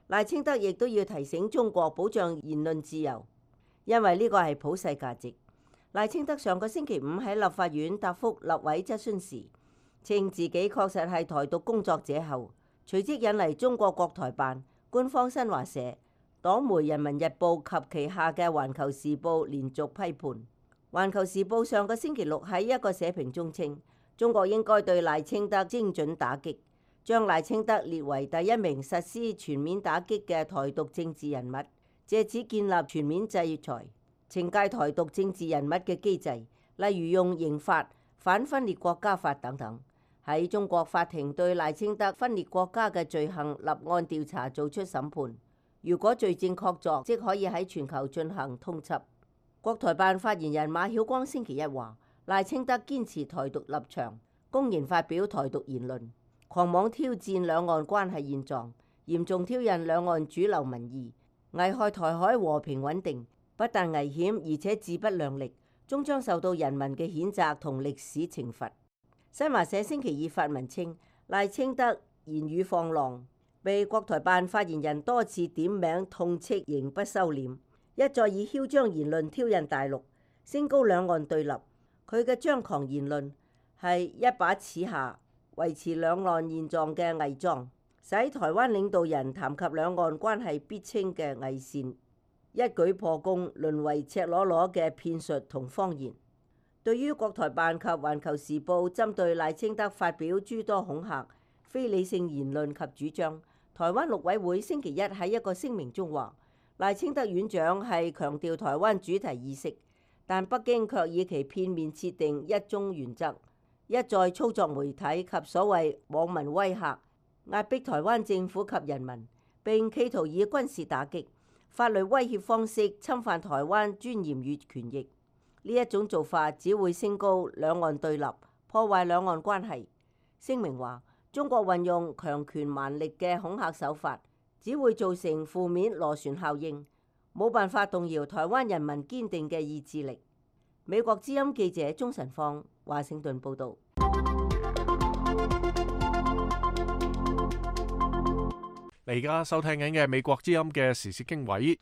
賴清德亦都要提醒中國保障言論自由，因為呢個係普世價值。賴清德上個星期五喺立法院答覆立委質詢時，稱自己確實係台獨工作者後，隨即引嚟中國國台辦、官方新華社、黨媒《人民日報》及旗下嘅《環球時報》連續批判。《環球時報》上個星期六喺一個社評中稱，中國應該對賴清德精準打擊，將賴清德列為第一名實施全面打擊嘅台獨政治人物，藉此建立全面制裁、懲戒台獨政治人物嘅機制，例如用刑法、反分裂國家法等等。喺中國法庭對賴清德分裂國家嘅罪行立案調查做出審判，如果罪證確鑿，即可以喺全球進行通緝。國台辦發言人馬曉光星期一話，賴清德堅持台獨立場，公然發表台獨言論，狂妄挑戰兩岸關係現狀，嚴重挑釁兩岸主流民意，危害台海和平穩定，不但危險，而且自不量力，終將受到人民嘅譴責同歷史懲罰。新華社星期二發文稱，賴清德言語放浪，被國台辦發言人多次點名痛斥，仍不收斂，一再以囂張言論挑釁大陸，升高兩岸對立。佢嘅張狂言論係一把此下維持兩岸現狀嘅偽裝，使台灣領導人談及兩岸關係必稱嘅偽善，一舉破功，淪為赤裸裸嘅騙術同謊言。對於國台辦及環球時報針對賴清德發表諸多恐嚇、非理性言論及主張，台灣陸委會星期一喺一個聲明中話，賴清德院長係強調台灣主題意識，但北京卻以其片面設定一中原則，一再操作媒體及所謂網民威嚇，壓迫台灣政府及人民，並企圖以軍事打擊、法律威脅方式侵犯台灣尊嚴與權益。呢一種做法只會升高兩岸對立，破壞兩岸關係。聲明話，中國運用強權蠻力嘅恐嚇手法，只會造成負面螺旋效應，冇辦法動搖台灣人民堅定嘅意志力。美國之音記者鍾晨芳，華盛頓報導。你而家收聽緊嘅美國之音嘅時事經緯。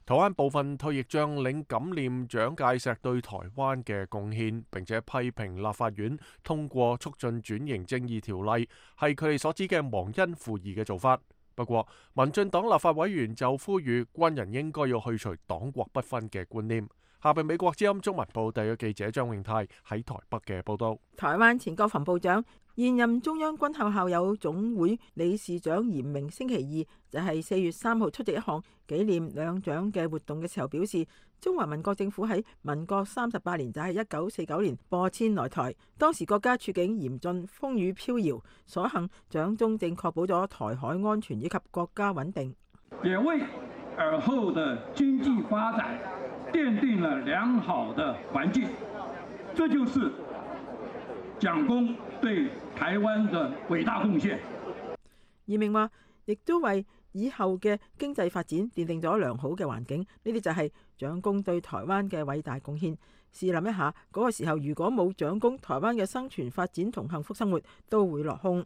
台灣部分退役將領感念蔣介石對台灣嘅貢獻，並且批評立法院通過促進轉型正義條例係佢哋所指嘅忘恩負義嘅做法。不過，民進黨立法委員就呼籲軍人應該要去除黨國不分嘅觀念。下邊美國之音中文部特約記者張永泰喺台北嘅報道。台灣前國防部長、現任中央軍校校友總會理事長嚴明星期二就係4月3號出席一項紀念兩蔣嘅活動嘅時候表示，中華民國政府喺民國38年，就係1949年播遷來台，當時國家處境嚴峻，風雨飄搖，所幸蔣中正確保咗台海安全以及國家穩定，也為爾後的經濟發展奠定了良好的環境，這就是蔣公對台灣的偉大貢獻。嚴明話，亦都為以後嘅經濟發展奠定咗良好嘅環境，呢啲就係蔣公對台灣嘅偉大貢獻。試諗一下，嗰個時候如果冇蔣公，台灣嘅生存發展同幸福生活都會落空。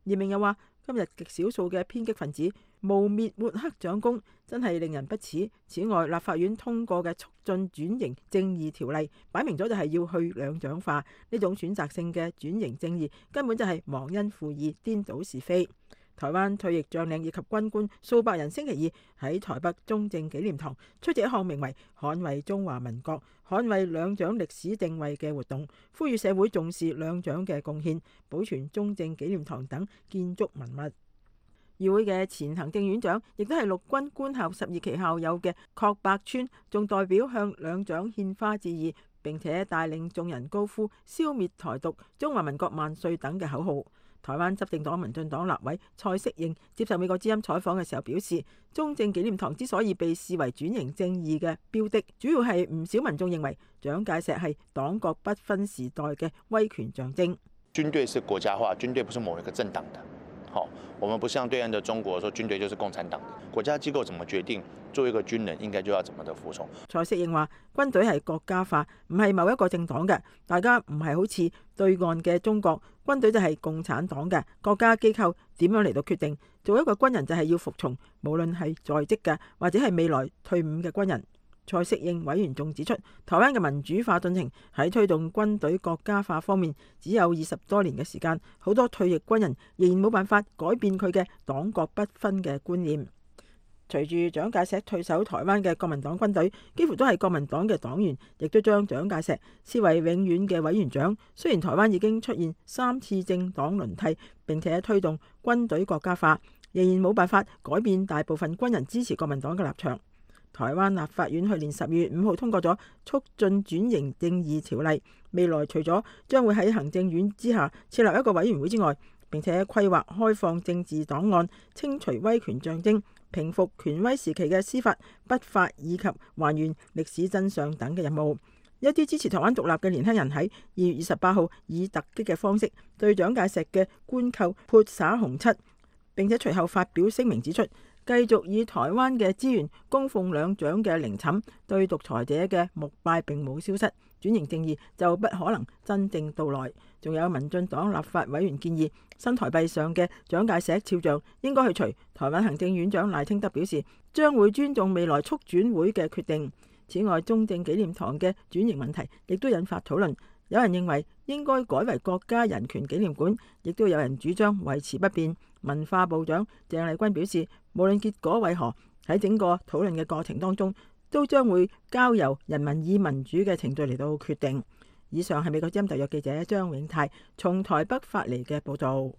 嚴明又話，今日極少數嘅偏激分子污蔑抹黑蔣公，真係令人不齒。此外，立法院通過嘅促進轉型正義條例，擺明咗就係要去兩蔣化，呢種選擇性嘅轉型正義根本就係忘恩負義、顛倒是非。台灣退役將領以及軍官數百人星期二喺台北中正紀念堂出席一項名為《捍衛中華民國、捍衛兩蔣歷史定位》嘅活動，呼籲社會重視兩蔣嘅貢獻，保存中正紀念堂等建築文物。議會嘅前行政院長，亦都係陸軍官校12期校友嘅郝柏村，仲代表向兩蔣獻花致意，並且帶領眾人高呼消滅台獨、中華民國萬歲等嘅口號。台灣執政黨民進黨立委蔡適應接受美國之音採訪嘅時候表示，中正紀念堂之所以被視為轉型正義嘅標的，主要係唔少民眾認為蔣介石係黨國不分時代嘅威權象徵。軍隊是國家化，軍隊不是某一個政黨的。好，我們不像對岸的中國說軍隊就是共產黨的。國家機構怎麼決定，作為一個軍人應該就要怎麼的服從。蔡適應話，軍隊係國家化，唔係某一個政黨嘅，大家唔係好似對岸嘅中國，軍隊就係共產黨嘅，國家機構點樣嚟到決定，做一個軍人就係要服從，無論係在職嘅或者係未來退伍嘅軍人。蔡適應委員仲指出，台灣嘅民主化進程喺推動軍隊國家化方面只有20多年嘅時間，好多退役軍人仍然冇辦法改變佢嘅黨國不分嘅觀念。隨住蔣介石退守台灣嘅國民黨軍隊，幾乎都係國民黨嘅黨員，亦都將蔣介石視為永遠嘅委員長。雖然台灣已經出現3次政黨輪替，並且推動軍隊國家化，仍然冇辦法改變大部分軍人支持國民黨嘅立場。台灣立法院去年12月5號通過咗促進轉型正義條例，未來除咗將會喺行政院之下設立一個委員會之外，並且規劃開放政治檔案、清除威權象徵、平復權威時期嘅司法不法以及還原歷史真相等嘅任務。一啲支持台灣獨立嘅年輕人喺2月28號以突擊嘅方式對蔣介石嘅官寇潑灑紅漆，並且隨後發表聲明指出，繼續以台灣嘅資源供奉兩蔣嘅陵寢，對獨裁者嘅膜拜並冇消失，轉型正義就不可能真正到來。仲有民進黨立法委員建議，新台幣上嘅蔣介石肖像應該去除。台灣行政院長賴清德表示，將會尊重未來促轉會嘅決定。此外，中正紀念堂嘅轉型問題亦都引發討論。有人認為應該改為國家人權紀念館，亦都有人主張維持不變。文化部長鄭麗君表示，無論結果為何，喺整個討論嘅過程當中，都將會交由人民以民主嘅程序嚟到決定。以上係美國之音特約記者張永泰從台北發嚟嘅報道。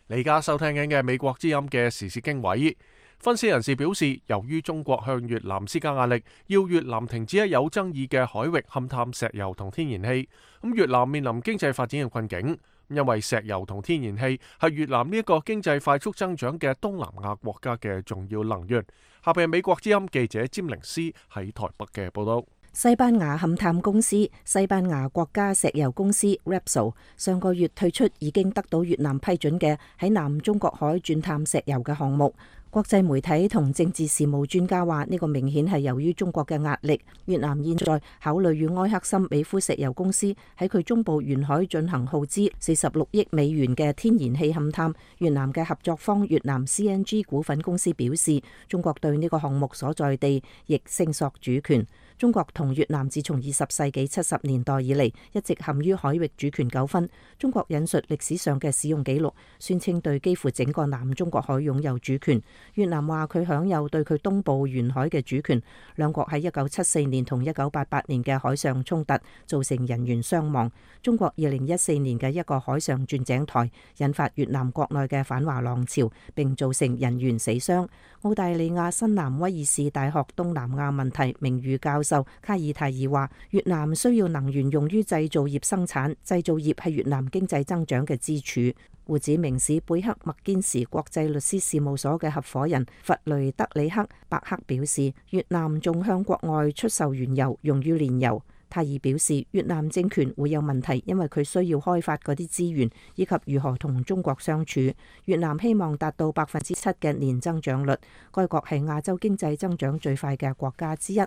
你而家收聽緊嘅美國之音嘅時事經緯。分析人士表示，由於中國向越南施加壓力，要越南停止喺有爭議嘅海域勘探石油同天然氣，咁越南面臨經濟發展嘅困境，因為石油同天然氣係越南呢一個經濟快速增長嘅東南亞國家嘅重要能源。下邊係美國之音記者詹寧斯喺台北嘅報道。西班牙勘探公司西班牙國家石油公司 Repsol 上個月退出已經得到越南批准嘅喺南中國海鑽探石油嘅項目。國際媒體同政治事務專家話，呢個明顯係由於中國嘅壓力。越南現在考慮與埃克森美孚石油公司喺佢中部沿海進行耗資46億美元嘅天然氣勘探。越南嘅合作方越南 CNG 股份公司表示，中國對呢個項目所在地亦聲索主權。中國同越南自從20世紀70年代以嚟一直陷於海域主權糾紛。中國引述歷史上嘅使用記錄，宣稱對幾乎整個南中國海擁有主權。越南話佢享有對佢東部沿海嘅主權。兩國喺1974年同1988年嘅海上衝突造成人員傷亡。中國2014年嘅一個海上鑽井台引發越南國內嘅反華浪潮，並造成人員死傷。澳大利亞新南威爾士大學東南亞問題名譽教授卡爾泰爾話：越南需要能源用於製造業生產，製造業係越南經濟增長嘅支柱。胡志明市貝克麥堅時國際律師事務所嘅合夥人弗雷德里克伯克表示，越南仲向國外出售原油用於煉油。泰爾表示，越南政權會有問題，因為佢需要開發嗰啲資源，以及如何同中國相處。越南希望達到7%嘅年增長率，該國係亞洲經濟增長最快嘅國家之一。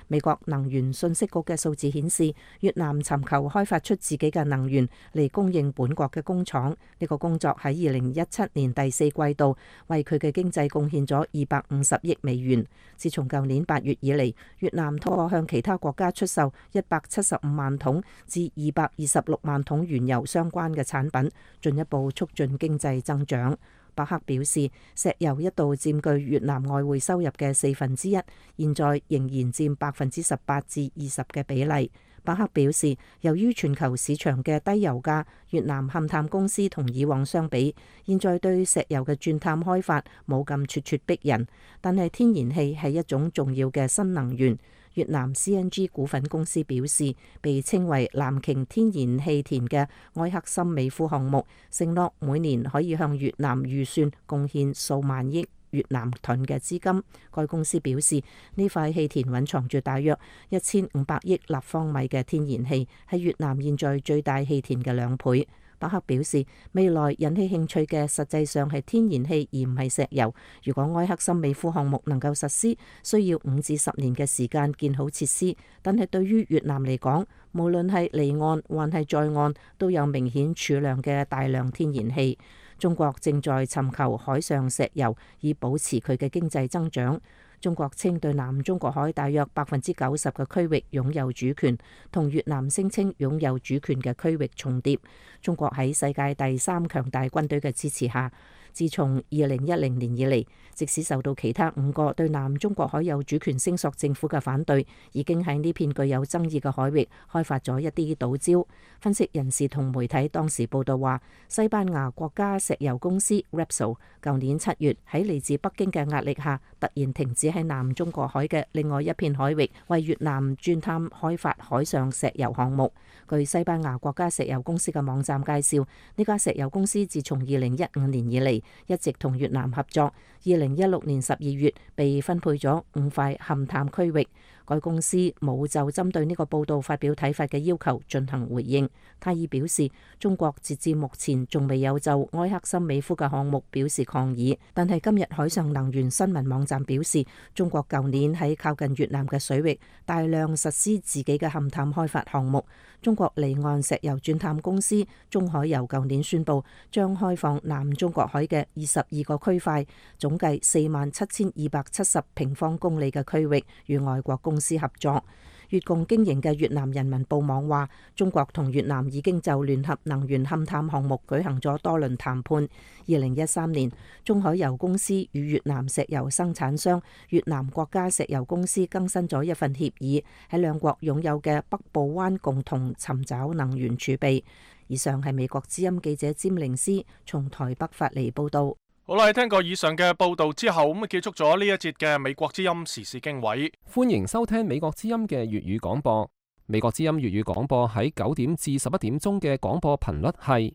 美國能源信息局嘅數字顯示，越南尋求開發出自己嘅能源嚟供應本國嘅工廠。呢個工作喺2017年第4季度為佢嘅經濟貢獻咗250億美元。自從舊年8月以嚟，越南通過向其他國家出售175萬桶至226萬桶原油相關嘅產品，進一步促進經濟增長。伯克表示，石油一度佔據越南外匯收入嘅1/4，現在仍然佔18%至20%嘅比例。伯克表示，由於全球市場嘅低油價，越南勘探公司同以往相比，現在對石油嘅鑽探開發冇咁咄咄逼人，但係天然氣係一種重要嘅新能源。越南 CNG 股份公司表示，被稱為藍鯨天然氣田嘅埃克森美孚項目，承諾每年可以向越南預算貢獻數萬億越南盾嘅資金。該公司表示，呢塊氣田蘊藏住大約1500億立方米嘅天然氣，係越南現在最大氣田嘅2倍。伯克表示，未來引起興趣嘅實際上係天然氣而唔係石油。如果埃克森美孚項目能夠實施，需要5至10年嘅時間建好設施，但係對於越南嚟講，無論係離岸還係在岸，都有明顯儲量嘅大量天然氣。中國正在尋求海上石油以保持佢嘅經濟增長。中國稱對南中國海大約90%嘅區域擁有主權，同越南聲稱擁有主權嘅區域重疊。中國喺世界第3強大軍隊嘅支持下，自從2010年以嚟，即使受到其他5個對南中國海有主權聲索政府嘅反對，已經喺呢片具有爭議嘅海域開發咗一啲島礁。分析人士同媒體當時報道話，西班牙國家石油公司 Repsol 舊年7月喺嚟自北京嘅壓力下，突然停止喺南中國海嘅另外一片海域為越南鑽探開發海上石油項目。據西班牙國家石油公司嘅網站介紹，呢家石油公司自從2015年以嚟一直同越南合作。2016年12月被分配咗5塊勘探區域。該公司冇就針對呢個報道發表睇法嘅要求進行回應。泰爾表示，中國截至目前仲未有就埃克森美孚嘅項目表示抗議，但係今日海上能源新聞網站表示，中國舊年喺靠近越南嘅水域大量實施自己嘅勘探開發項目。中國離岸石油鑽探公司中海油舊年宣布將開放南中國海嘅22個區塊，總計47270平方公里嘅區域，與外國公司合作。越共經營嘅越南人民報網話，中國同越南已經就聯合能源勘探項目舉行咗多輪談判。2013年，中海油公司與越南石油生產商越南國家石油公司更新咗一份協議，喺兩國擁有嘅北部灣共同尋找能源儲備。以上係美國之音記者詹玲斯從台北發嚟報道。好啦，聽過以上嘅報道之後，咁結束咗呢一節嘅美國之音時事經緯。歡迎收聽美國之音嘅粵語廣播。美國之音粵語廣播喺9點至11點鐘嘅廣播頻率係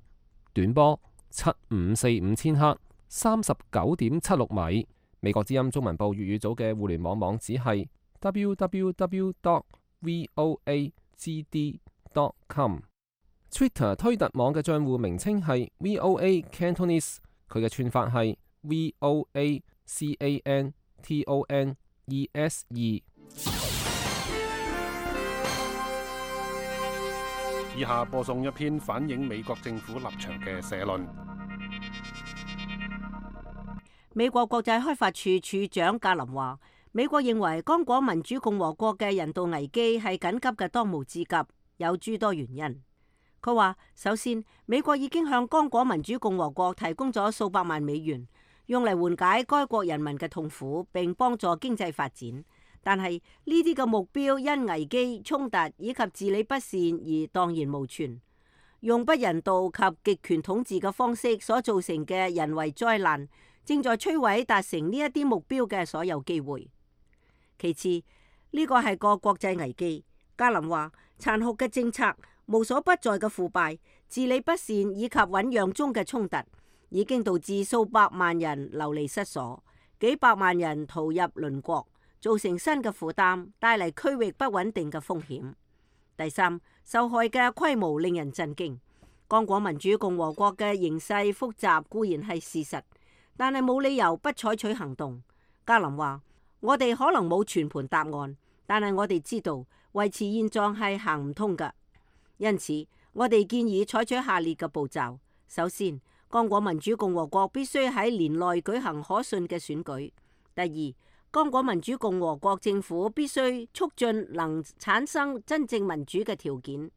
短波7545千赫39.76米。美國之音中文部粵語組嘅互聯網網址係 www.voagd.com。Twitter 推特網嘅賬戶名稱係 VOA Cantonese。佢嘅串法係 VOACANTONESE。以下播送一篇反映美國政府立場嘅社論。美國國際開發處處長格林話：美國認為剛果民主共和國嘅人道危機係緊急嘅當務之急，有諸多原因。佢話：首先，美國已經向剛果民主共和國提供咗數百萬美元，用嚟緩解該國人民嘅痛苦並幫助經濟發展。但係呢啲嘅目標因危機、衝突以及治理不善而蕩然無存，用不人道及極權統治嘅方式所造成嘅人為災難，正在摧毀達成呢一啲目標嘅所有機會。其次，呢個係個國際危機。加林話：殘酷嘅政策、無所不在嘅腐敗、治理不善以及醞釀中嘅衝突，已經導致數百萬人流離失所，幾百萬人逃入鄰國，造成新嘅負擔，帶嚟區域不穩定嘅風險。第三，受害嘅規模令人震驚。剛果民主共和國嘅形勢複雜固然係事實，但係冇理由不採取行動。加林話：我哋可能冇全盤答案，但係我哋知道維持現狀係行唔通㗎。因此，我哋建議採取下列嘅步驟：首先，剛果民主共和國必須喺年內舉行可信嘅選舉；第二，剛果民主共和國政府必須促進能產生真正民主嘅條件，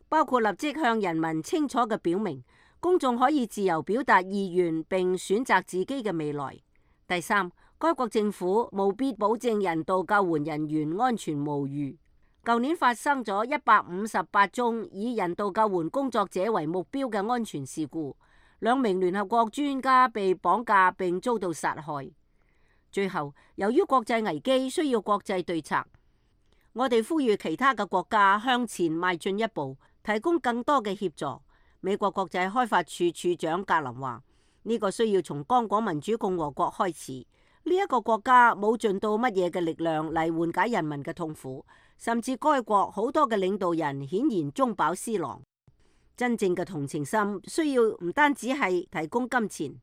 包括立即向人民清楚嘅表明，公眾可以自由表達意願並選擇自己嘅未來；第三，該國政府務必保證人道救援人員安全無虞。舊年發生咗158宗以人道救援工作者為目標嘅安全事故，2名聯合國專家被綁架並遭到殺害。最後，由於國際危機需要國際對策，我哋呼籲其他嘅國家向前邁進一步，提供更多嘅協助。美國國際開發處處長格林話：呢個需要從剛果民主共和國開始。呢一個國家冇盡到乜嘢嘅力量嚟緩解人民嘅痛苦，甚至該國好多嘅領導人顯然中飽私囊。真正嘅同情心需要唔單止係提供金錢，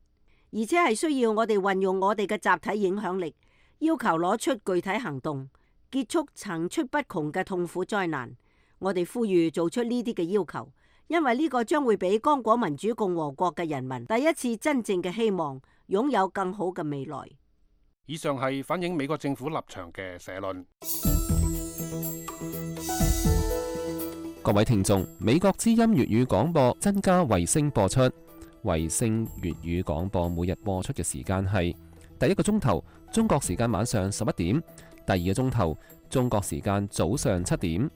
而且係需要我哋運用我哋嘅集體影響力，要求攞出具體行動，結束層出不窮嘅痛苦災難。我哋呼籲做出呢啲嘅要求，因為呢個將會俾剛果民主共和國嘅人民第一次真正嘅希望，擁有更好嘅未來。以上係反映美國政府立場嘅社論。各位聽眾，美國之音粵語廣播增加衛星播出。衛星粵語廣播每日播出嘅時間係第一個鐘頭中國時間晚上11點，第二個鐘頭中國時間早上7點。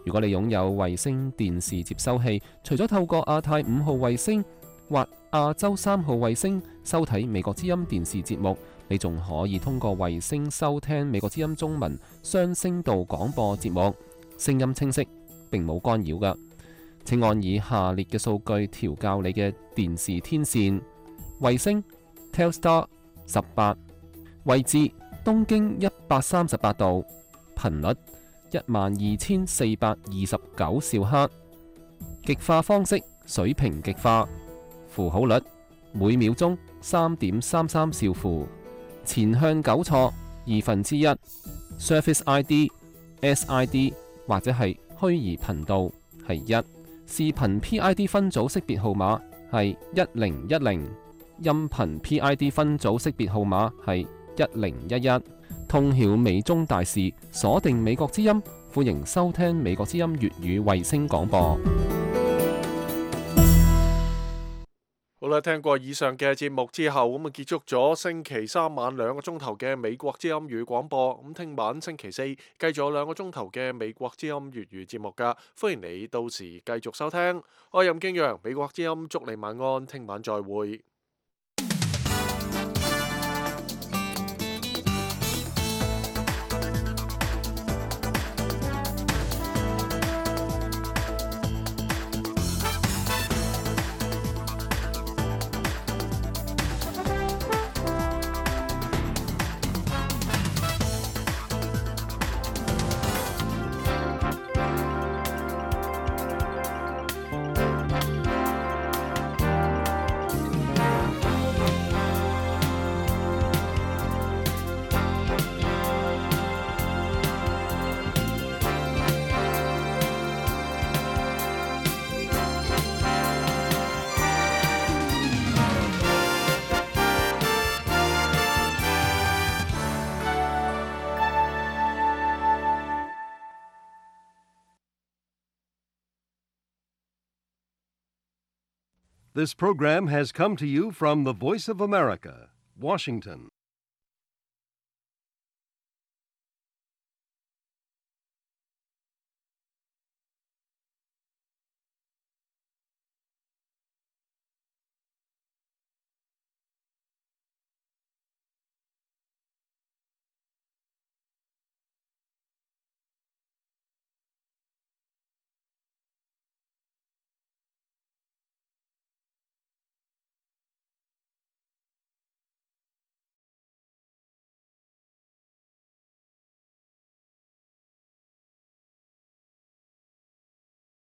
如果你擁有衛星電視接收器，除咗透過亞太5號衛星或亞洲3號衛星收睇美國之音電視節目，你仲可以通過衛星收聽美國之音中文雙聲道廣播節目，聲音清晰，並冇干擾㗎。請按以下列嘅數據調校你嘅電視天線：衛星 Telstar 18，位置東經138度，頻率12429兆赫，極化方式水平極化，符號率每秒鐘3.33兆符，前向糾錯1/2， Surface ID SID 或者係虛擬頻道係1，視頻 PID 分組識別號碼係1010，音頻 PID 分組識別號碼係1011。通曉美中大事，鎖定美國之音，歡迎收聽美國之音粵語衛星廣播。好啦，聽過以上嘅節目之後，咁啊結束咗星期三晚2個鐘頭嘅美國之音粵語廣播。咁聽晚星期四繼續有2個鐘頭嘅美國之音粵語節目噶，歡迎你到時繼續收聽。我係任敬陽，美國之音祝你晚安，聽晚再會。This program has come to you from the Voice of America, Washington.